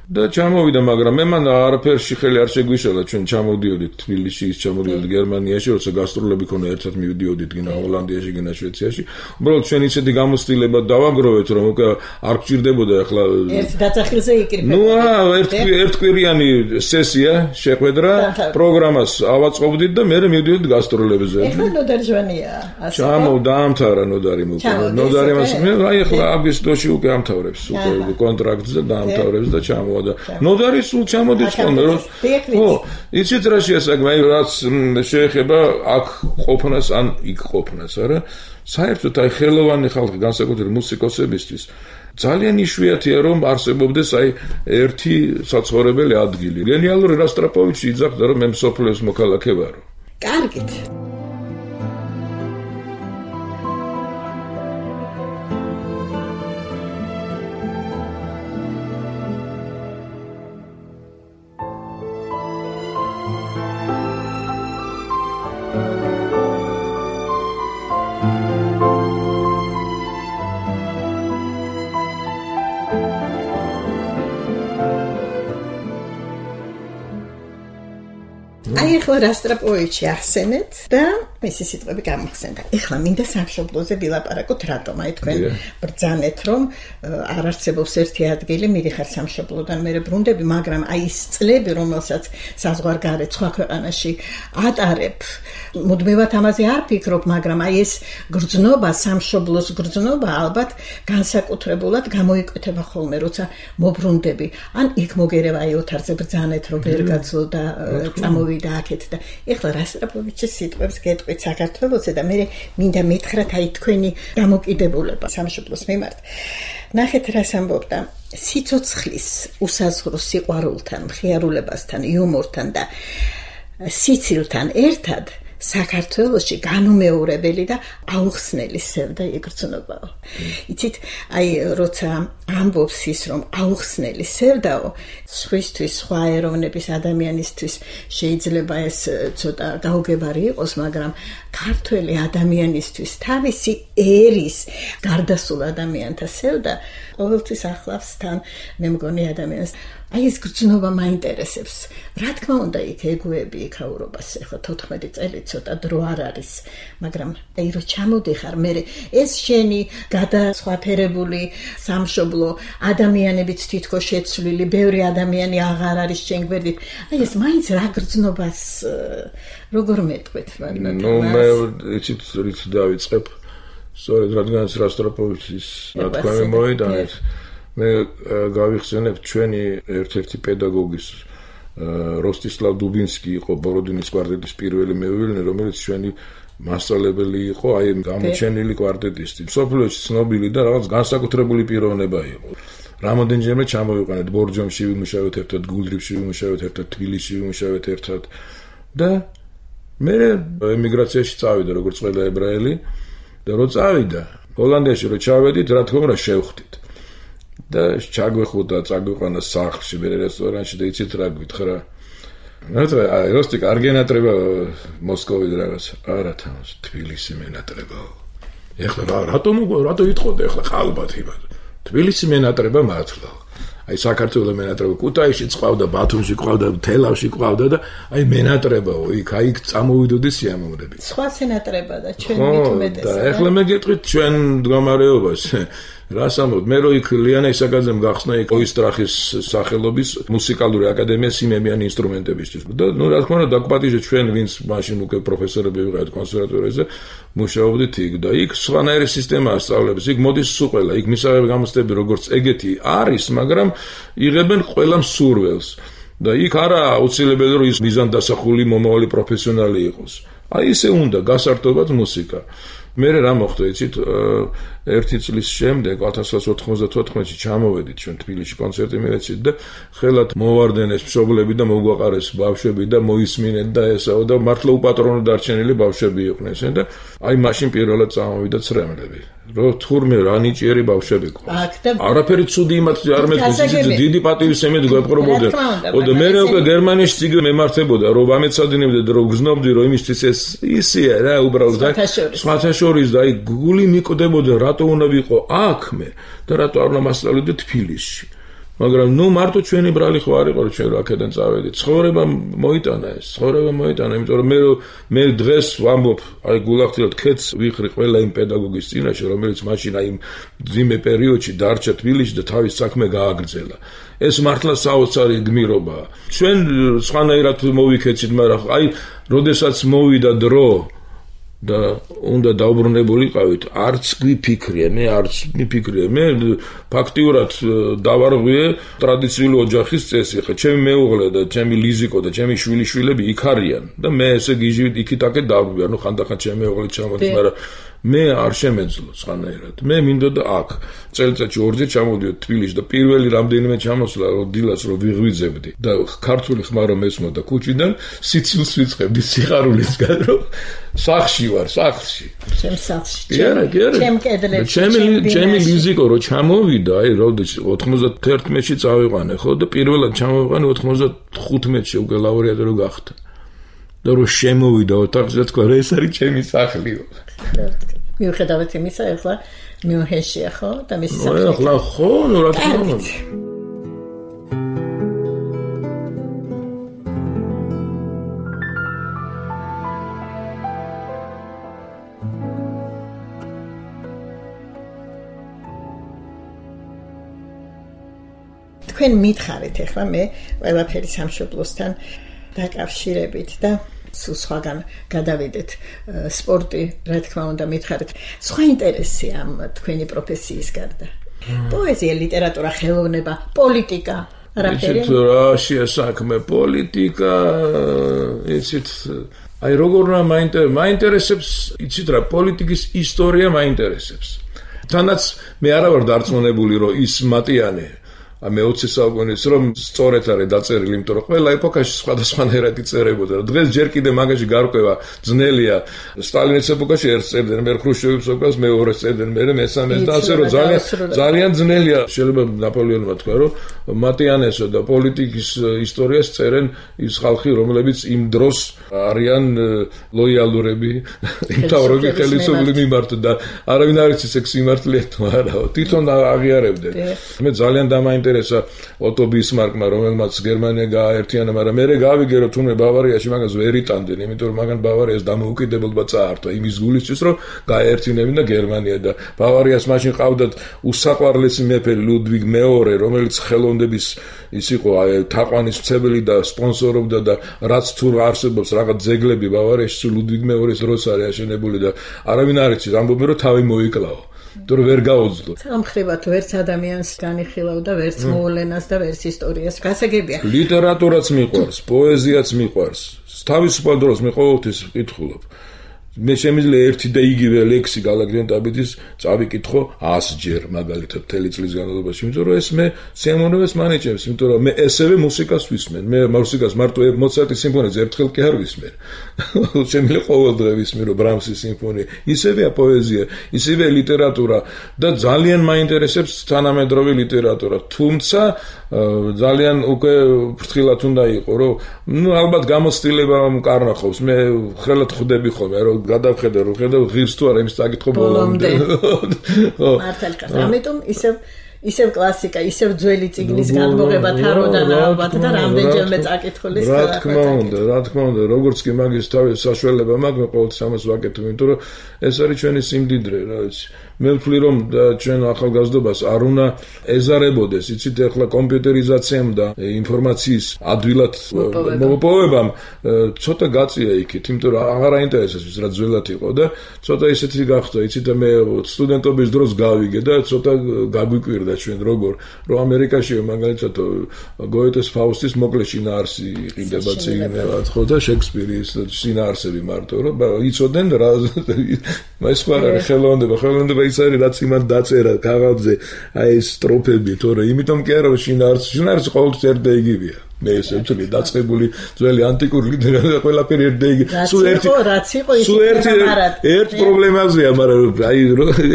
და ჩამოვიდა, მაგრამ მე მან არაფერში ხელი არ შეგვიშალა, ჩვენ ჩამოვდიოდით თბილისში, ის ჩამოვდიოდით გერმანიაში, როცა გასტროლები ქონა, ერთად მივდიოდით გინა ჰოლანდიაში, გინა შვეიცარიაში. უბრალოდ ჩვენ ისეთი გამოცდილება დავაგროვეთ, რომ უკვე არ გჭირდებოდა ახლა ერთ დაწახილზე იკრიბება. ნუ ერთკვირიანი სესია შეყვედრა, პროგრამას ავაწყობდით და მე მივდიოდით გასტროლებებზე. ეხლა ნოდარ ჟვანია, ასე. დაამთავრა ნოდარი უკვე. ნოდარი მას აი ახლა აგვისტოში უკვე ამთავრებს, უკვე კონტრაქტს და დაამთავრებს და ჩამოვიდა. ნოდარი სულ ჩამოდის ხოლმე, რომ ხო, იცით რა შეასაგმა, რაც შეეხება აქ ყოფნას ან იქ ყოფნას, არა? საერთოდ აი ხელოვანი ხალხი, განსაკუთრებით მუსიკოსებისთვის, ძალიან იშვიათია, რომ არსებობდეს აი ერთი საცხოვრებელი ადგილი. გენიალური რასტრაპოვიჩი იძახდა, რომ მე მსოფლიოს მოქალაქე ვარო. კარგით. აი ახლა რასტრაპოვიჩი ახსენეთ და მისი სიტყვები გამახსენდა. ეხლა მინდა სამშობლოზე ვილაპარაკოთ, რატომ? აი თქვენ ბრძანეთ, რომ არ არსებობს ერთი ადგილი, მიდიხარ სამშობლოდან მერე ბრუნდები, მაგრამ აი ის წლები, რომელსაც საზღვარგარეთ სხვა ქვეყანაში ატარებ, მუდმივად ამაზე არ ფიქრობ, მაგრამ აი ეს გრძნობა, სამშობლოს გრძნობა ალბათ განსაკუთრებულად გამოიკვეთება ხოლმე, როცა მობრუნდები. ან იქ მოგერევა აი ოთარზე ბრძანეთ, რომ ვერ გაძლო და წამოვიდა აქეთ და ეხლა რასტრაპოვიჩის სიტყვებს გეტყვით, დაიწყეთ საქართველოსზე და მე მინდა მითხრათ აი თქვენი დამოკიდებულება სამშობლოს მიმართ. ნახეთ რას ამბობდა სიცოცხლის უსაზღვრო სიყვარულთან, მხიარულებასთან, იუმორთან და სიცილთან ერთად საქართველოში განუმეორებელი და აუხსნელი სევდა იგრძნობაო. იცით, აი როცა ამბობს ის რომ აუხსნელი სევდაო, სხვისთვის, სხვა ეროვნების ადამიანისთვის შეიძლება ეს ცოტა გაუგებარი იყოს, მაგრამ ქართველი ადამიანისთვის თავისი ერის გარდასულ ადამიანთა სევდა ყოველთვის ახლავს თან მე მგონი ადამიანს. აი ეს გრძნობა მაინტერესებს. რა თქმა უნდა იქ ეგუები იქაურობას ახლა 14 წელი ცოტა დრო არ არის, მაგრამ აი რო ჩამოდიხარ მე ეს შენი გადასხვაფერებული სამშობლო ადამიანებიც თითქოს შეცვლილი, ბევრი ადამიანი აღარ არის შენ გვერდით. აი ეს მაინც რა გრძნობას როგორ მეტყვით, მაგრამ მე იცით რით დავიწყებ. სწორედ რადგანაც როსტროპოვიჩის ნათქვამი მოიტანეთ. მე გავიხსენებ ჩვენი ერთ-ერთი პედაგოგის როსტისლავ დუბინსკი იყო ბოროდინის კვარტეტის პირველი მეუღლე, რომელიც ჩვენი მასწავლებელი იყო აი გამოჩენილი კვარტეტისტი. მსოფლიოში ცნობილი და რაღაც განსაკუთრებული პიროვნება იყო. რამოდენჯერმე ჩამოვიყვანეთ ბორჯომში ვიმუშავეთ ერთად, გულდრიფში ვიმუშავეთ ერთად, თბილისში ვიმუშავეთ ერთად და მე ემიგრაციაში წავიდა როგორც ყველა ებრაელი და რო წავიდა ჰოლანდიაში რო ჩავედით, რა თქმა უნდა შევხვდით. და ჩაგვეხუდა, წაგვიყვანა სახლში, მე რესტორანში და იცით რა გვითხრა. აი როსტი კარგი ენატრება მოსკოვი რაღაც. არა თავს, თბილისი მენატრებაო. ეხლა რატო იტყოდა ეხლა ხალბათ იბად. თბილისი მენატრება მართლა. აი საქართველოს მენატრება კუთაისში ყავდა, ბათუმში ყავდა, თელავში ყავდა და აი მენატრებაო, იქ წამოვიდოდი სიამოვნებით. სხვა სენატრება და ჩვენ მით უმეტესად. და ეხლა მე გეტყვით ჩვენ მდგომარეობას. რას ამბობ, მე რო იქ ლიანა ისაკაძემ გახსნა იქ ოისტრახის სახელობის მუსიკალური აკადემია სიმებიანი ინსტრუმენტებისთვის. და ნუ რა თქმა უნდა დაგვპატიჟე ჩვენ ვინც მაშინ უკვე პროფესორები ვიყავით კონსერვატორიაზე, მუშაობდით იქ და იქ სხვანაირი სისტემაა სწავლების. იქ მოდის სულ ყველა, იქ მისაღები გამოცდები როგორც ეგეთი არის, მაგრამ იღებენ ყველა მსურველს. და იქ არა აუცილებელი რომ ის მიზანდასახული მომავალი პროფესიონალი იყოს. აი ესე უნდა გასართობად მუსიკა. მე რა მოხდა, იცით, ერთი წლის შემდეგ 1994-ში ჩამოვედით ჩვენ თბილისში კონცერტი მივეცით და ხელათ მოვარდენეს მშობლები და მოგვაყარეს ბავშვები და მოისმინეთ და ესაო და მართლა უპატრონო დარჩენილი ბავშვები იყვნენ ესენ და აი მაშინ პირველად წამოვიდა ცრემლები. რო თურმე რა ნიჭიერი ბავშვები ყავს. არაფერი ცუდი იმათ არ მეთქვის, დიდი პატივისცემით გვეპყრობოდნენ. ოდე მე უკვე გერმანიაში ციგნი მემართებოდა, რომ ამეცადინებდა და რომ გზნობდი, რომ იმისთვის ეს ისია რა უბრალოდ სხვათა შორის და აი გული მიყდებოდა რატო უნდა ვიყო აქ მე და რატო არ უნდა მასწავლიდე თბილისში. მაგრამ ნუ მარტო ჩვენი ბრალი ხო არ იყო რომ ჩვენ აქედან წავედით. ცხოვრება მოიტანა, იმიტომ რომ მე დღეს ვამბობ, აი გულახდილად ქეთს ვიხრი ყველა იმ პედაგოგის წინაშე, რომელიც მაშინ აი ძიმე პერიოდში დარჩა თბილისში და თავის საქმე გააგრძელა. ეს მართლა საოცარი გმირობაა. ჩვენ სხვანაირად მოვიქეცით, მაგრამ აი როდესაც მოვიდა დრო და უნდა დაუბრუნებულიყავით, არც გვიფიქრია, მე ფაქტიურად დავარღვიე ტრადიციული ოჯახის წესი. ხა ჩემი მეუღლე და ჩემი ლიზიკო და ჩემი შვილიშვილები იქ არიან და მე ესე გიჟივით იქით-აქეთ დავარღვიე, ანუ ხანდახან ჩემი მეუღლე ჩამოდის, მაგრამ მე არ შემეძლო სხვანაირად. მე მინდოდა აქ წელიწადში ორჯერ ჩამოვიდოდი თბილისში და პირველი რამდენიმე ჩამოსვლა დილას რო ვიღვიძებდი და ქართული ხმა რომ ესმოდა ქუჩიდან, სიცილს ვიწყებდი სიხარულისგან, რომ სახლში ვარ, სახლში. ჩემ სახლში. ჩემ კედლებში. ჩემი ლიზიკო რო ჩამოვიდა, აი როდესაც 91-ში წავიყვანე, ხო და პირველად ჩამოვიყვანე 95-ში უკვე ლაურეატი რო გახდა. და რო შემოვიდა ოთახში და თქვა, ეს არის ჩემი სახლიო. მიუხედავად იმისა, ახლა მიუნხენშია, ხო? და მისი სახლი. ახლა ხო, ნუ რა თქმა უნდა. თქვენ მითხარით ახლა მე ყველაფერი სამშობლოსთან დაკავშირებით და სულ სხვაგან გადავიდეთ სპორტი, რა თქმა უნდა მითხარით. სხვა ინტერესი ამ თქვენი პროფესიის გარდა. პოეზია, ლიტერატურა, ხელოვნება, პოლიტიკა, არაფერი. იცით რა შეასაქმე პოლიტიკა, იცით აი როგორ მაინტერესებს, იცით რა, პოლიტიკის ისტორია მაინტერესებს. თანაც მე არა ვარ დარწმუნებული, რომ ის მატიანე მე-20 საუკუნის რომ სწორედ არის დაწერილი, იმიტომ რომ ყველა ეპოქაში სხვადასხვანაირად იწერებოდა. დღეს ჯერ კიდე მაგაში გარკვევა ძნელია. სტალინის ეპოქაში ერთს წერდნენ, მე ხრუშჩოვის ეპოქას მეორეს წერდნენ, მე მესამეს და ასე რომ ძალიან ძნელია. შეიძლება ნაპოლეონმა თქვა, რომ მატიანესო და პოლიტიკის ისტორიას წერენ ის ხალხი, რომლებიც იმ დროს არიან ლოიალურები, იმთავრები ხელისუფლების მიმართ და არავინ არ იცის ეს სიმართლეა თუ არაო. თვითონ აღიარებდნენ. მე ძალიან დამაინტერესა ოტო ბისმარკმა, რომელმაც გერმანია გააერთიანა, მაგრამ მე გავიგე, რომ თუნდაც ბავარიაში მაგას ვერ იტანდნენ, იმიტომ რომ მაგან ბავარიას დამოუკიდებლობა წაართვა იმის გულისთვის, რომ გააერთინებინა და გერმანია და ბავარიას მაშინ ყავდათ უსაყვარლესი მეფე ლუდვიგ მეორე, რომელიც ხელოვნების ის იყო თაყვანის მცემელი და სპონსორობდა და რაც თუ არსებობს რაღაც ძეგლები ბავარიაში ლუდვიგ მეორის დროს არის აშენებული და არავინ არ იცის, ამბობენ რომ თავი მოიკლაო. თუ ვერ გაუძლო. სამხრებად ვერც ადამიანს განიხილავდა, ვერც მოვლენას და ვერც ისტორიას. გასაგებია. ლიტერატურაც მიყვარს, პოეზიაც მიყვარს. თავისუფალ დროს მე ყოველთვის ვკითხულობ. მე შემიძლია ერთი და იგივე ლექსი გალაგრიან ტაბიძის წავიკითხო 100 ჯერ მაგალითად მთელი წლის განმავლობაში, იმიტომ რომ ეს მე სიამოვნებას მანიჭებს, იმიტომ რომ მე ესევე მუსიკას ვისმენ. მე მუსიკას მარტო მოცარტის სიმფონიას ერთხელ კი არ ვისმენ. შემიძლია ყოველ დღე ვისმენო ბრამსის სიმფონია. ისევეა პოეზია, ისევეა ლიტერატურა და ძალიან მაინტერესებს თანამედროვე ლიტერატურა. თუმცა ძალიან უკვე ფრთხილად უნდა იყო, რომ ალბათ გამოცდილება მკარნახობს. მე ხელად ხვდები ხოლმე, რომ გადავხედე, რომ ხედავ ღირს თუ არა, იმის წაკითხო ბოლომდე. მართალია. ამიტომ ისევ კლასიკა, ისევ ძველი წიგნის გადმოღება თაროდან ალბათ და რამდენჯერმე წაკითხული რა თქმა უნდა, როგორც კი მაგის თავის საშუალება მაქვს, მე ყოველთვის ამას ვაკეთებ, იმიტომ რომ ეს არის ჩვენი სიმდიდრე, რა ვიცი. მე ვთვლი რომ ჩვენ ახალგაზრდობას არ უნდა ეზარებოდეს, იცით, ახლა კომპიუტერიზაციამ და ინფორმაციის ადვილად მოპოვებამ ცოტა გაწია იქით, იმიტომ რომ აღარ აინტერესებს ის რა ძველად იყო და ცოტა ისეთი გახდა, იცით, მე სტუდენტობის დროს გავიგე და ცოტა გაგვიკვირდა ჩვენ როგორ რომ ამერიკაში მაგალითად გოეთეს ფაუსტის მოკლე შინაარსი იყიდება წიგნებად, ხო და შექსპირის შინაარსები მარტო რომ იცოდნენ რა მას ხარ ხელოვნება ის არის რაც იმან დაწერა კაღაბზე აი ეს სტროფები თორე იმიტომ კი არა შინაარსი ყოველთვის ერთ და იგივეა მე ესე ვთვლი დაწყებული ძველი ანტიკური ლიტერატურა ყველაფერი ერთ და იგივე სულ ერთ პრობლემაზეა მაგრამ აი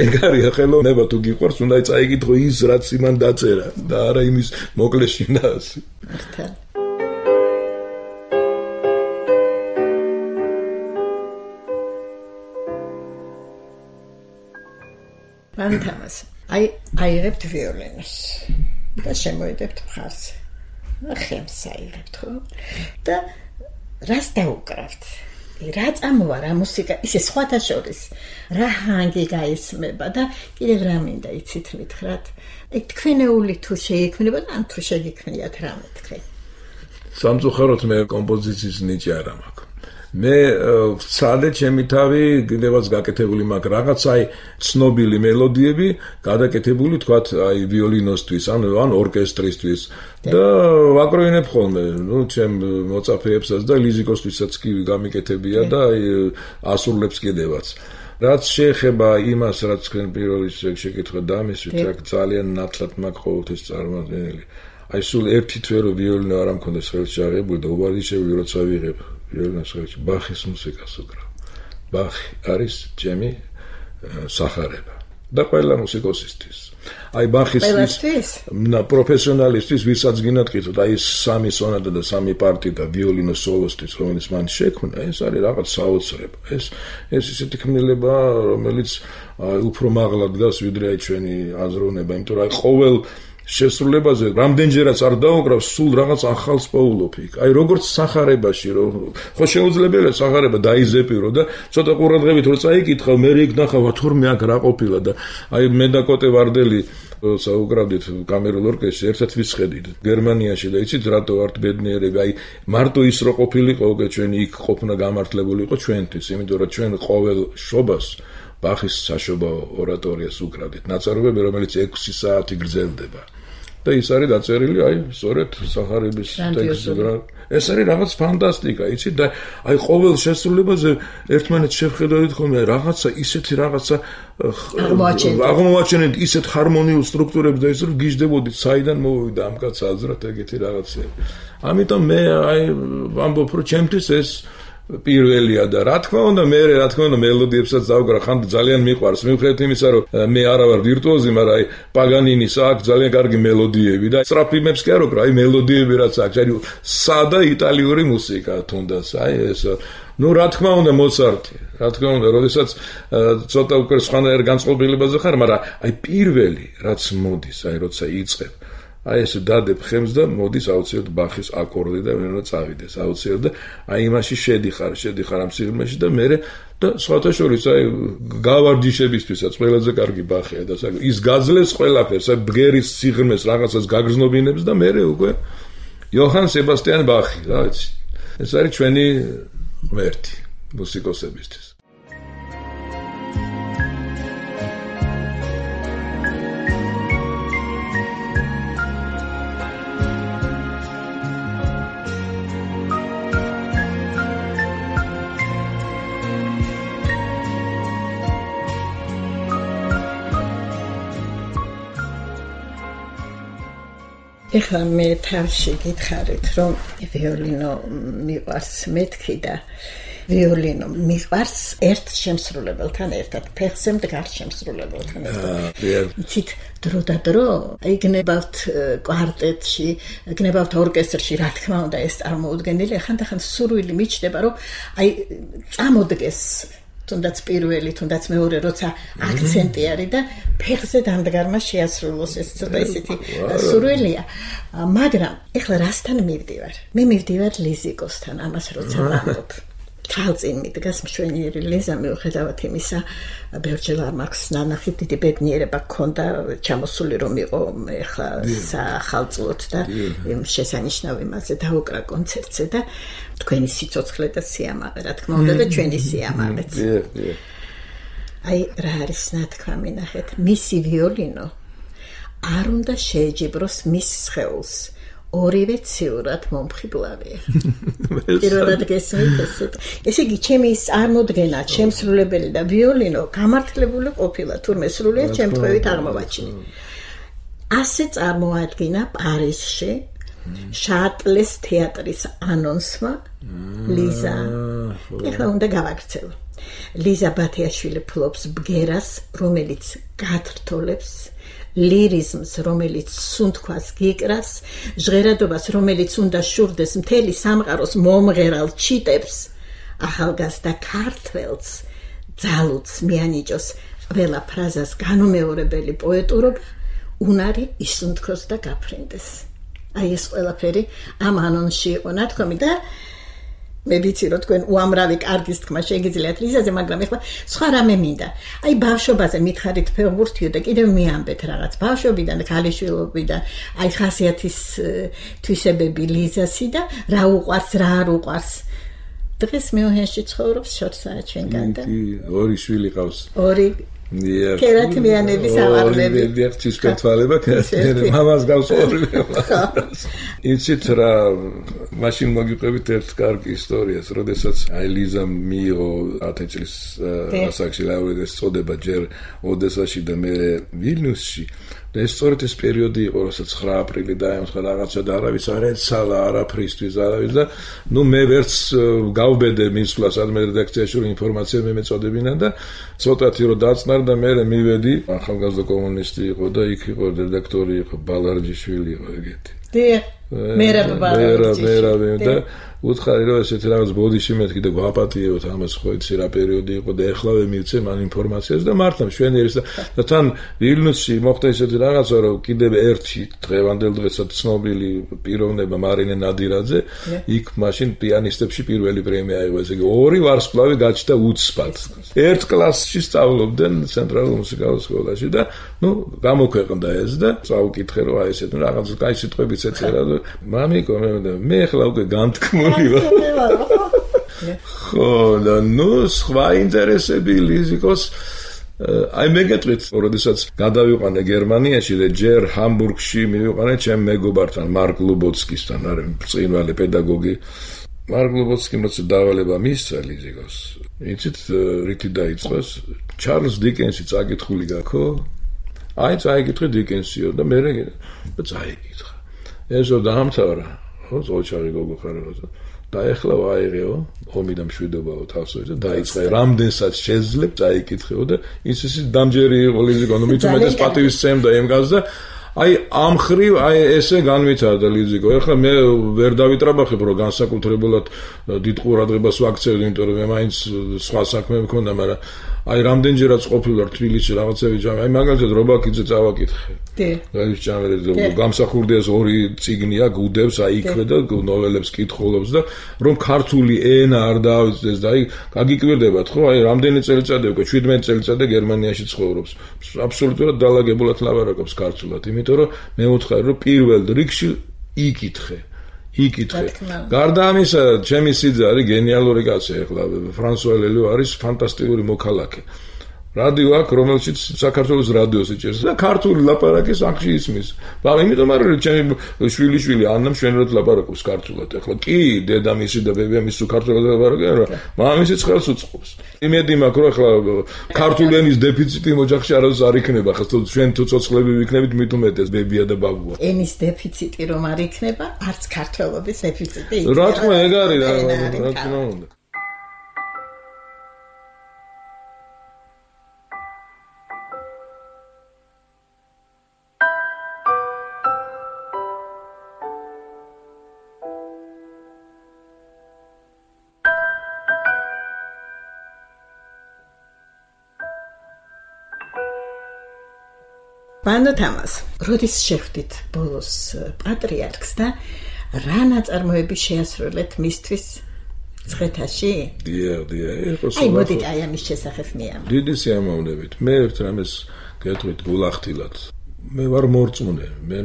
ეგ არის ხელოვნება თუ გიყვარს უნდა წაიკითხო ის რაც იმან დაწერა და არა იმის მოკლე შინაარსი ფანტამას აიღებთ ვიოლინოს და შემოედებთ მხარზე ხემს აიღებთ ხო და რას დაუკრავთ რა წამოვა რა მუსიკა ისე სხვათა შორის რა ჰანგი გაისმება და კიდევ რა მინდა იცით მითხრათ ეგ თქვენეული თუ შეიქმნება ან თუ შეგიქმნიათ რამე თქვენ სამწუხაროდ მე კომპოზიციის ნიჭი არ მაქვს მე ვცადე ჩემი თავი კიდევაც გაკეთებული მაქვს რაღაც აი ცნობილი მელოდიები გადაკეთებული თქვათ აი ვიოლინოსთვის ან ორკესტრისთვის და ვაკროინებ ხოლმე ნუ ჩემ მოწაფეებსაც და ლიზიკოსთვისაც კი გამიკეთებია და აი ასრულებს კიდევაც რაც შეეხება იმას რაც თქვენ პირველ რიგში შეკითხეთ დამისვით აქ ძალიან ნათლად მაქვს ყოველთვის წარმოადგენელი აი სულ ერთი თვე რომ ვიოლინო არ ამქონდეს ხელში აღებული და უბარდიშები როცა ვიღებ ვიოლინოს ხელში ბახის მუსიკას უკრავ ბახი არის ჩემი სახარება და ყველა მუსიკოსისთვის აი ბახისთვის პროფესიონალისტვის ვისაც გინატკიცოთ აი სამი სონატა და სამი პარტიტა ვიოლინოს სოლოსთვის რომელიც მან შექმნა ეს არის რაღაც საოცრება ეს ისეთი ქმნილება რომელიც უფრო მაღლა დგას ვიდრე აი ჩვენი აზროვნება იმიტომ რომ აი ყოველ შესრულებაზე რამდენჯერაც არ დაუკრავს სულ რაღაც ახალს პოულობ იქ აი როგორც სახარებაში რომ ხო შეუძლებელია სახარება დაიზეპირო და ცოტა ყურადღებით რო წაიკითხავ მე იქ ნახავ თორმე აქ რა ყოფილა და აი მე და კოტე ვარდელი საუბრობდით კამერულ ორკესტრში ერთად ვისხედით გერმანიაში და იცით რატო ვართ ბედნიერები აი მარტო ის რო ყოფილიყო უკვე ჩვენი იქ ყოფნა გამართლებული იყო ჩვენთვის იმიტომ რომ ჩვენ ყოველ შობას ბახის საშობაო ორატორიას უკრავდით ნაწარმოებები რომელიც 6 საათი გრძელდება და ის არის დაწერილი აი სწორედ სახარების ტექსტზე. ეს არის რაღაც ფანტასტიკა, იცით და აი ყოველ შესრულებაზე ერთმანეთს შევხედავთ ხოლმე რაღაცა ისეთი რაღაცა აღმოაჩენთ ისეთ ჰარმონიულ სტრუქტურებს და ის რომ გიждდებოდით საიდან მოვიდა ამ კაცს აზრად ეგეთი რაღაცები. ამიტომ მე აი ვამბობ რომ ჩემთვის ეს პირველია და რა თქმა უნდა მე რა თქმა უნდა მელოდიებსაც დავგრა ხან ძალიან მიყვარს მიუხედავად იმისა რომ მე არა ვარ ვირტუოზი მაგრამ აი პაგანინის აქვს ძალიან კარგი მელოდიები და სტრაფიმებს კი არ ვკრა აი მელოდიები რაც აქვს აი სადა იტალიური მუსიკა თუნდაც აი ეს ну რა თქმა უნდა მოცარტი რა თქმა უნდა როდესაც ცოტა უკვე სხვანაირ განწყობილებაზე ხარ მაგრამ აი პირველი რაც მოდის აი როცა იწყებ აი ეს დადებ ხემს და მოდის აუცილებლად ბახის აკორდი და ვენა წავიდეს აუცილებლად და აი იმაში შედიხარ ამ სიღრმეში და მე და სხვათა შორის აი გავარჯიშებისთვისაც ყველაზე კარგი ბახია და ის გაძლევს ყველაფერს აი ბგერის სიღრმეს რაღაცას გაგრძნობინებს და მე უკვე იოჰან სებასტიან ბახი რა ვიცი ეს არის ჩვენი ღმერთი მუსიკოსებისთვის ეხლა მე თავში გითხარით რომ ვიოლინო მიყვარს მეთქი და ვიოლინო მიყვარს ერთ შემსრულებელთან ერთად ფეხზე მდგარ შემსრულებელთან ერთად იცით დრო და დრო იგნებავთ კვარტეტში იგნებავთ ორკესტრში რა თქმა უნდა ეს წარმოუდგენელი ხანდახან სურვილი მიჩნდება რომ აი წამოდგეს თუნდაც პირველი, თუნდაც მეორე, როცა აქცენტი არის და ფეხზე დამდგარმა შეასრულოს ეს ცოტა ისეთი სურვილია. მაგრამ ეხლა რასთან მივდივარ? მე მივდივარ ლიზიკოსთან, ამას როცა ვამბობ. თვალწინ მიდგას მშვენიერი ლიზა მიუხედავად იმისა, ბევრჯერ არ მაქვს ნანახი დიდი ბედნიერება გქონდა ჩამოსული რომ იყო ეხლა სახალწლოდ და იმ შესანიშნავ იმაზე დაუკრა კონცერტზე და თქვენი სიცოცხლე და სიამაყე რა თქმა უნდა და ჩვენი სიამაყეც. აი რა არის ნათქვამი ნახეთ, მისი ვიოლინო არ უნდა შეეჯიბროს მის სხეულს. ორივე ციურად მომხიბლავია. პირველად გესმით ესეთ. ესე იგი, ჩემი წარმოდგენა, შემსრულებელი და ვიოლინო გამართლებული ყოფილა, თურმე სრულიად ჩემთქვევით აღმოვაჩინე. ასე წარმოადგინა პარიზში შატლეს თეატრის ანონსმა ლიზა. ეხლა უნდა გავაგრძელო. ლიზა ბათიაშვილი ფლობს ბგერას, რომელიც გათრთოლებს ლირიზმს, რომელიც სუნთქვას გიკრას, ჟღერადობას, რომელიც უნდა შურდეს მთელი სამყაროს მომღერალ ჩიტებს, ახალგაზრდა ქართველს ძალუძს მიანიჭოს ყველა ფრაზას განუმეორებელი პოეტურობა, უნარი ისუნთქოს და გაფრინდეს. აი ეს ყველაფერი ამ ანონსში იყო ნათქვამი და მე ვიცი რომ თქვენ უამრავი კარგის თქმა შეგიძლიათ ლიზაზე, მაგრამ ეხლა სხვა რამე მინდა. აი ბავშვობაზე მითხარით ფეხბურთიო და კიდევ მიამბეთ რაღაც ბავშვობიდან და ქალიშვილობიდან, აი ხასიათის თვისებები ლიზასი და რა უყვარს, რა არ უყვარს. დღეს მიუნხენში ცხოვრობს შორსაა ჩვენგან და ორი შვილი ყავს. ორი კერათმიანების ავარლები. დიახ, თვალება კერათმიანები. მამას გავს ორი. იცით რა, მაშინ მოგიყვებით ერთ კარგი ისტორიას, როდესაც აი ლიზა მიიღო 10 წლის ასაკში ლაურეატის წოდება ჯერ ოდესაში და მე ვილნიუსში. და ეს სწორედ ეს პერიოდი იყო, როცა 9 აპრილი დაემთხვა რაღაცა და არავის არ ეცალა არაფრისთვის არავის და ნუ მე ვერც გავბედე მისვლას ადმე რედაქციაში რომ ინფორმაცია მეწოდებინა და ცოტათი რომ დაწნარ და მე მივედი ახალგაზრდა კომუნისტი იყო და იქ იყო რედაქტორი იყო ბალარჯიშვილი იყო ეგეთი. დიახ, მერაბ ბალარჯიშვილი და უთხარი რომ ესეთი რაღაც ბოდიში მეთქი და გვაპატიებოთ ამას ხო იცი რა პერიოდი იყო და ეხლავე მივცე მან ინფორმაციას და მართლა მშვენიერის და თან ვილნიუსში მოხდა ესეთი რაღაცა რომ კიდევ ერთი დღევანდელ დღესაც ცნობილი პიროვნება მარინე ნადირაძე იქ მაშინ პიანისტებში პირველი პრემია აიღო ესე იგი ორი ვარსკვლავი გაჩნდა უცბად ერთ კლასში სწავლობდნენ ცენტრალურ მუსიკალურ სკოლაში და ნუ გამოქვეყნდა ეს და წავკითხე რომ აი ესეთ რაღაც კაი სიტყვებიც ეწერა და მამიკო მე ახლა უკვე განთქმული ხო და ნუ სხვა ინტერესები ლიზიკოს აი მეგეწვით, როდესაც გადავიყვანე გერმანიაში და ჯერ ჰამბურგში მივიყვანე ჩემ მეგობართან, მარკ ლუბოცკისთან, არის ბრწყინვალე პედაგოგი. მარკ ლუბოცკიმ როცა დავალება მისცა ლიზიგოს, იცით რითი დაიწყოს? ჩარლზ დიკენსი წაკითხული გაქო? აი წაიკითხე დიკენსიო და მე წაიკითხა. ესო დაამთავრა, ხო, ოჩარი გოგო ხარ. და ეხლა ვაიღეო, ომი და მშვიდობაო თავსოი და დაიწყე რამდენსაც შეძლებ წაიკითხეო და ის დამჯერი იყო ლიზიკო, ნუ მით უმეტეს პატივისცემდა იმგანს და აი ამ ხრივ აი ესე განვითარდა ლიზიკო. ეხლა მე ვერ დავიტრაბახებ რომ განსაკუთრებულად დიდ ყურადღებას ვაქცევდი, იმიტომ რომ მე მაინც სხვა საქმე მქონდა, მაგრამ აი რამდენჯერაც ყოფილვარ თბილისში რაღაცები ჯამი. აი მაგალითად რობაქიძე წავაკითხე. ის ჟანრი გამსახურდიას 2 წიგნია გუდებს აი იქვე და ნოველებს კითხულობს და რომ ქართული ენა არ დაავიწყდეს და აი გაგიკვირდებათ ხო აი რამდენი წელიწადი უკვე 17 წელიწადი გერმანიაში ცხოვრობს. აბსოლუტურად დალაგებულად ლაპარაკობს ქართულად, იმიტომ რომ მე ვუთხარი რომ პირველ რიგში იკითხე. გარდა ამისა, ჩემი სიძე არის გენიალური კაცი, ეხლა ფრანსუა ლელიო არის ფანტასტიკური მოქალაქე. რადიო აქვს, რომელშიც საქართველოს რადიოს იჭერს და ქართული ლაპარაკის ახში ისმის. იმიტომ რომ ჩემი შვილი ანამ შვენურად ლაპარაკობს ქართულად. ეხლა კი დედამისი და ბებიამისი ქართულად ლაპარაკობენ, რა მამამისი ხელს უწყობს. იმედი მაქვს, რომ ეხლა ქართული ენის დეფიციტი ოჯახში არავის არ იქნება, ხო ჩვენ თუ ცოცხლები ვიქნებით, მით უმეტეს ბებია და ბაბუა. ენის დეფიციტი რომ არ იქნება, არც ქართველობის დეფიციტი იქნება. რა თქმა ეგ არის, რა თქმა უნდა. ბანო თამას, როდის შეხვდით ბოლოს პატრიარქს და რა ნაწარმოები შეასრულეთ მისთვის ცხეთაში? აი მოდით აი ამის შესახებ მიამ. დიდი სიამოვნებით. მე ერთ რამეს გეტყვით გულახდილად. მე ვარ მორწმუნე, მე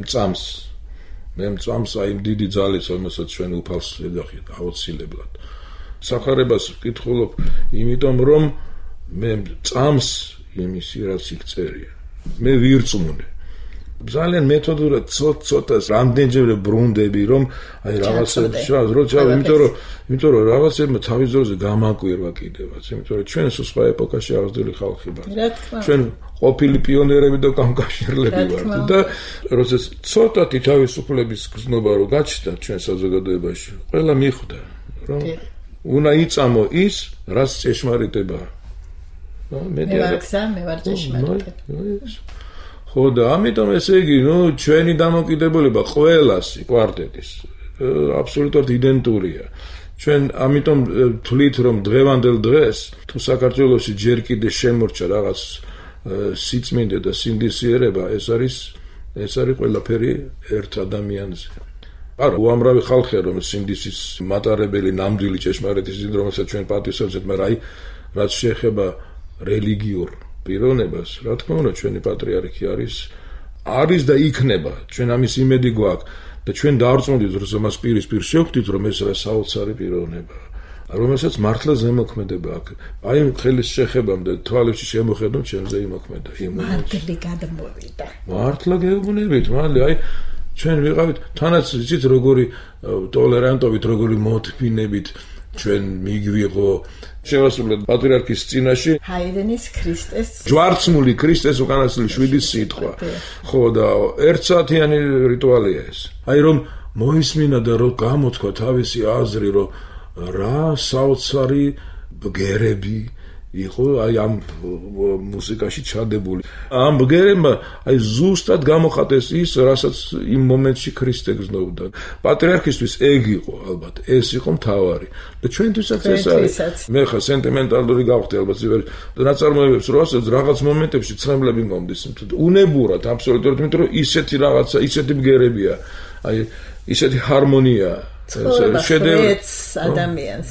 მწამს აი დიდი ძალის, რომელსაც ჩვენ უფალს ეძახით აუცილებლად. სახარებას ვკითხულობ, იმიტომ რომ მე მწამს იმისი რაც იქ წერია. მე ვირწმუნე. ძალიან მეთოდურად ცოტას რამდენჯერ ბრუნდები რომ აი რაღაცებს როცა იმიტომ რომ რაღაცებმა თავის დროზე გამაკვირვა კიდევაც, იმიტომ რომ ჩვენ სხვა ეპოქაში აღზრდილი ხალხი ვართ. ჩვენ ყოფილი პიონერები და კავშირლები ვართ და როცა ცოტათი თავისუფლების გზნობა რო გაჩნდა ჩვენ საზოგადოებაში, ყველა მიხვდა რომ უნდა იწამო ის, რაც ჭეშმარიტებაა. მე ვარ ჭეშმარიტი. ხო და ამიტომ ესე იგი, ჩვენი დამოკიდებულება ყველასი კვარტეტის აბსოლუტურად იდენტურია. ჩვენ ამიტომ თვლით რომ დღევანდელ დღეს თუ საქართველოში ჯერ კიდე შემორჩა რაღაც სიწმინდე და სინდისიერება, ეს არის ყველაფერი ერთ ადამიანზე. არა, უამრავი ხალხია რომ სინდისის მატარებელი ნამდვილი ჭეშმარიტის ძილ რომელსაც ჩვენ პატივსაცემთ, მაგრამ აი რაც შეეხება რელიგიურ პიროვნებას, რა თქმა უნდა, ჩვენი პატრიარქი არის და იქნება. ჩვენ ამის იმედი გვაქვს და ჩვენ დავარწმუნდით, რომ მას პირისპირ შევხვდით, რომ ეს რა საოცარი პიროვნებაა, რომელსაც მართლა ზემოქმედება აქვს. აი ხელის შეხებამ და თვალებში შემოხედავ ჩემზე იმოქმედა. მართლი გადმოვიდა. მართლა გეუბნებით, მართლა აი ჩვენ ვიყავით თანაც იცით როგორი ტოლერანტობით, როგორი მოთმინებით ჩვენ მიგვიღო შევასრულეთ პატრიარქის წინაშე ჰაიდენის ქრისტეს ჯვარცმული ქრისტეს უკანასკნელი 7 სიტყვა. ხო და 1 საათიანი რიტუალია ეს. აი რომ მოისმინა და რომ გამოთქვა თავისი აზრი, რომ რა საოცარი ბგერები იყო აი ამ მუსიკაში ჩადებული. ამ ბგერებმა აი ზუსტად გამოხატეს ის, რასაც იმ მომენტში ქრისტე გზნობდა. პატრიარქისთვის ეგ იყო ალბათ, ეს იყო მთავარი. და ჩვენთვისაც ეს არის. მე ხა სენტიმენტალური გავხდი ალბათ ნაწარმოებებს რო ასწავლე რაღაც მომენტებში ცხენლები მომდის. უნებურად აბსოლუტურად, იმიტომ რომ ისეთი რაღაცა, ისეთი ბგერებია. აი ისეთი ჰარმონია შედევრი ადამიანს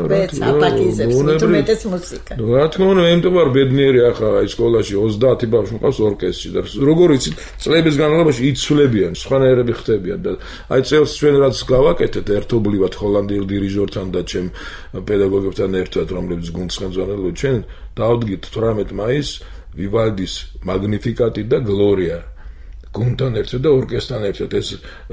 ვეც აპაკიზებს მეტეს მუსიკა. რა თქმა უნდა, მე მტოვარ ბედნიერი ახლა აი სკოლაში 30 ბავშვი მყავს ორკესტრში და როგორ იცით წლების განმავლობაში იცვლებიან, სხვანაირები ხდებიან და აი წელს ჩვენ რაც გავაკეთეთ ერთობლივად ჰოლანდიელ დირიჟორთან და ჩემ პედაგოგებთან ერთად, რომლებიც გუნდს ხელმძღვანელობენ, ჩვენ დავდგით 18 მაისს ვივალდის მაგნიფიკატი და გლორია. გუნდთან ერთად და ორკესტრთან ერთად ეს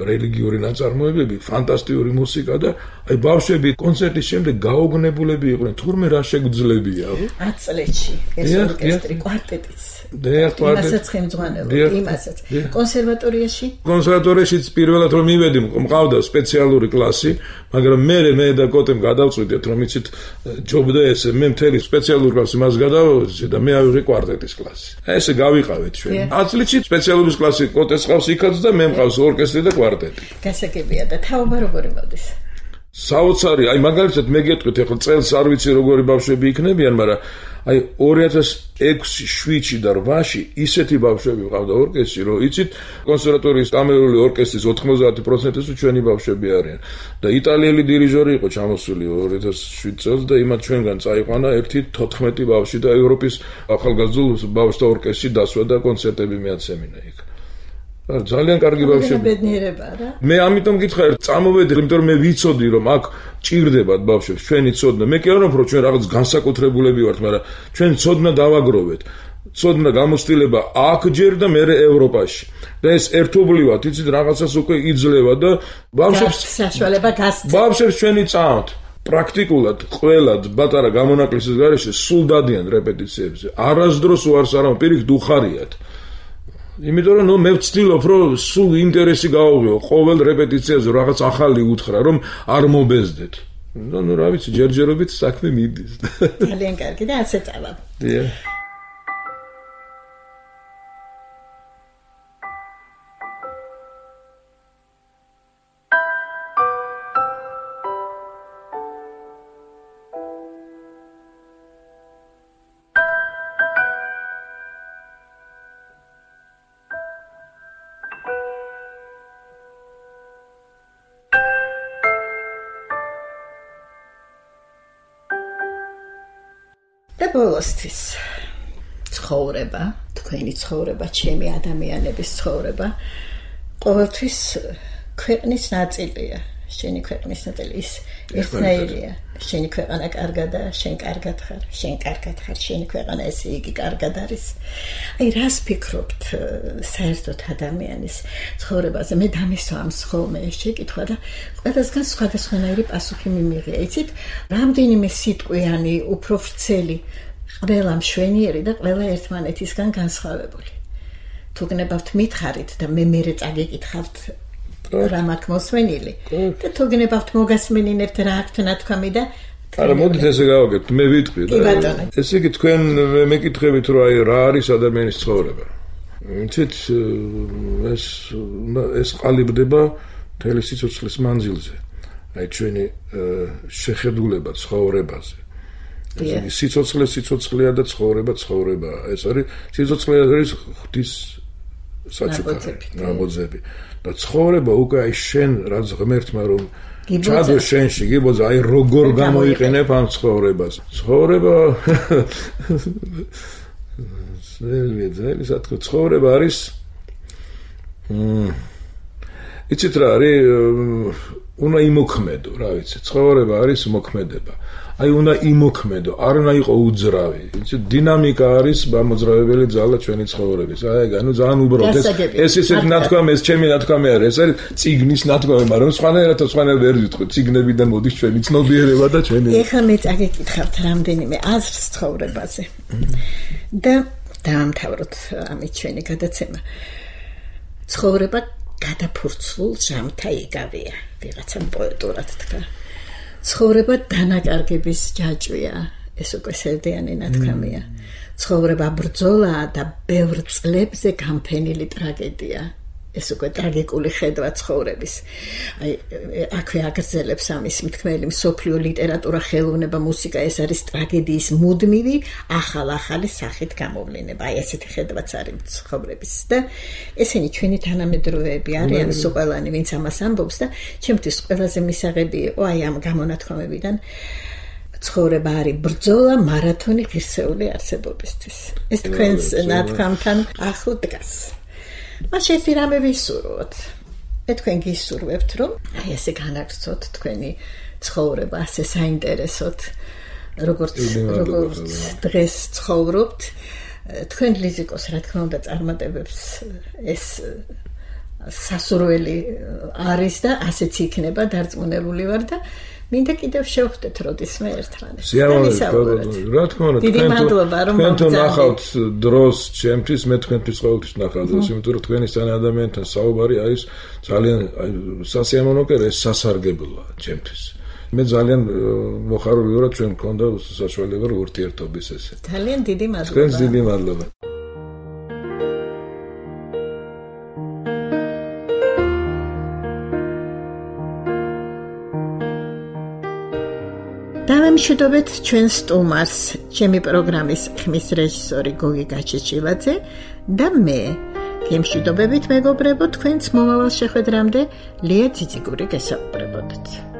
რელიგიური ნაწარმოებები, ფანტასტიკური მუსიკა და აი ბავშვები კონცერტის შემდეგ გაოგნებულები იყვნენ, თურმე რა შეგძლებია. 10 წლებში ეს ორკესტრი კვარტეტიც. იმასაც ხელმძღვანელობ, იმასაც. კონსერვატორიაშიც პირველად რომ მივედი, მყავდა სპეციალური კლასი, მაგრამ მე და კოტემ გადავწყვიტეთ, რომ იცით ჯობდა ესე, მე მთელი სპეციალური კლასი მას გადავწყვიტე და მე ავიღე კვარტეტის კლასი. ესე გავიყავით ჩვენ. 10 წლში სპეციალური კლასი კოტეს ყავს იქაც და მე მყავს ორკესტრი და კვარტეტი. გასაგებია და თაობა როგორი მოდის? საოცარი, აი მაგალითად მე გეტყვით, ახლა წელს არ ვიცი როგორი ბავშვები იქნებიან, მაგრამ აი 2006-7-ში და 8-ში ისეთი ბავშვები ყავდა ორკესტრი, რომ იცით, კონსერვატორიის კამერული ორკესტრის 90%-ი ჩვენი ბავშვები არიან. და იტალიელი დირიჟორი იყო ჩამოსული 2007 წელს და იმათ ჩვენგან წაიყვანა ერთი 14 ბავშვი და ევროპის ახალგაზრდულ ბავშვთა ორკესტრი დასვა და კონცერტები მეაცემინა იქ. ძალიან კარგი ბავშვები. ბედნიერება რა. მე ამიტომ გითხარ, წამოვედი, იმიტომ რომ მე ვიცოდი, რომ აქ ჭირდებათ ბავშვებს, ჩვენი ცოდნა. მე კი არ ვამბობ, რომ ჩვენ რაღაც განსაკუთრებულები ვართ, მაგრამ ჩვენ ცოდნა დავაგროვეთ. ცოდნა გამოცდილება აქ ჯერ და მე ევროპაში. და ეს ერთობლივად, იცით, რაღაცას უკვე იძლევა და ბავშვებს საშუალება გასცემ. ბავშვებს ჩვენი წამთ. პრაქტიკულად ყველა პატარა გამონაკლისის გარეშე სულ დადიან რეპეტიციებზე. არასდროს უარს არ ამბობ, პირიქით უხარიათ. იმიტომ რომ მე ვცდილობ რომ სულ ინტერესი გავუღიო ყოველ რეპეტიციაზე რაღაც ახალი უთხრა რომ არ მობეზდეთ. ნუ რა ვიცი ჯერჯერობით საქმე მიდის. ძალიან კარგი და ასე წავა. დიახ. და ბოლოსთვის ცხოვრება, თქვენი ცხოვრება, ჩემი ადამიანების ცხოვრება ყოველთვის ქვეყნის ნაწილია. შენი ქვეყნის ნაწილი ის ერთნაირია. შენი ქვეყანა კარგადაა, შენ კარგად ხარ, შენ კარგად ხარ, შენი ქვეყანა ესე იგი კარგად არის. აი რას ფიქრობთ საერთოდ ადამიანის ცხოვრებაზე? მე დამისვა ამ ხოლმე ეს შეკითხვა და ყველასგან სხვადასხვანაირი პასუხი მიმიღია. იცით, რამდენიმე სიტყვიანი, უფრო ვრცელი, ყველა მშვენიერი და ყველა ერთმანეთისგან განსხვავებული. თუ გნებავთ მითხარით და მე წაგეკითხავთ რა მაქვს მოსვენილი და თუ გნებავთ მოგასმენინებთ რა აქვთ ნათქვამი და არა მოდით ესე გავაკეთოთ მე ვიტყვი და ესე იგი თქვენ მეკითხებით რომ აი რა არის ადამიანის ცხოვრება იცით ეს ყალიბდება მთელი სიცოცხლის მანძილზე აი ჩვენი შეხედულება ცხოვრებაზე ეს სიცოცხლეა და ცხოვრება ეს არის სიცოცხლე არის ღვთის საჩუქარი ნაბოძები და ცხოვრება უკვე აი შენ რაც ღმერთმა რომ ჩადო შენში გიბოძა აი როგორ გამოიყენებ ამ ცხოვრებას ცხოვრება ძელი სათქო ცხოვრება არის იცით რა არის უნდა იმოქმედო რა ვიცი ცხოვრება არის მოქმედება აი უნდა იმოქმედო არ უნდა იყო უძრავი იცით დინამიკა არის გამოძრავებელი ძალა ჩვენი ცხოვრების აი ანუ ძალიან უბრალოდ ეს ისეთი ნათქვამი ეს ჩემი ნათქვამი არის ეს არის ციგნის ნათქვამი მაგრამ სხვანაირად ვერ ვიტყვი ციგნებიდან მოდის ჩვენი ცნობიერება და ჩვენი ეხლა მე წაგეკითხავთ რამდენიმე აზრს ცხოვრებაზე და დაამთავროთ ამით ჩვენი გადაცემა ცხოვრება გადაფურცლულ ჟამთა იგავია ვიღაცა პოეტურად თქვა ცხოვრება დანაკარგების ჯაჭვია ეს უკვე სევდიანი ნათქვამია ცხოვრება ბრძოლაა და ბევრ წლებზე გამფენილი ტრაგედია ეს უკვე ტრაგიკული ხედვა ცხოვრების აი აქვე აგრძელებს ამის მთქმელი მსოფლიო ლიტერატურა ხელოვნება მუსიკა ეს არის ტრაგედიის მუდმივი ახალი სახით გამოვლინება აი ესეთი ხედვაც არის ცხოვრების და ესენი ჩვენი თანამედროვეები არიან სოყელანი ვინც ამას ამბობს და ჩემთვის ყველაზე მისაღები იყო აი ამ გამონათქვამებიდან ცხოვრება არის ბრძოლა მარათონი ღირსეული არსებობისთვის ეს თქვენს ნათქვამთან ახლო დგას მას ერთი რამე ვისურვოთ. მე თქვენ გისურვებთ, რომ აი ესე განაგრძოთ თქვენი ცხოვრება, ასე საინტერესოდ, როგორც დღეს ცხოვრობთ თქვენ ლიზიკოს რა თქმა უნდა წარმატებებს ეს სასურველი არის და ასეც იქნება დარწმუნებული ვარ და მინდა კიდევ შევხვდეთ როდისმე ერთმანეთს. რა თქმა უნდა, დიდი მადლობა რომ თქვენ ნახავთ დროს ჩემთვის, მე თქვენთვის ყოველთვის ნახავ დროს, იმიტომ რომ თქვენი სან ადამიანთან საუბარი არის ძალიან სასიამოვნო და ეს სასარგებლოა ჩემთვის. მე ძალიან მოხარული ვარ, ჩვენ მქონდა საშუალება ურთიერთობის ესე. ძალიან დიდი მადლობა. თქვენს დიდი მადლობა. დავემშვიდობეთ ჩვენ სტუმარს, ჩემი პროგრამის ხმის რეჟისორი გოგი გაჩეჩილაძე და მე. გემშვიდობებით მეგობრებო, თქვენს მომავალ შეხვედრამდე ლია ძიძიგური გესაუბრებოდეთ.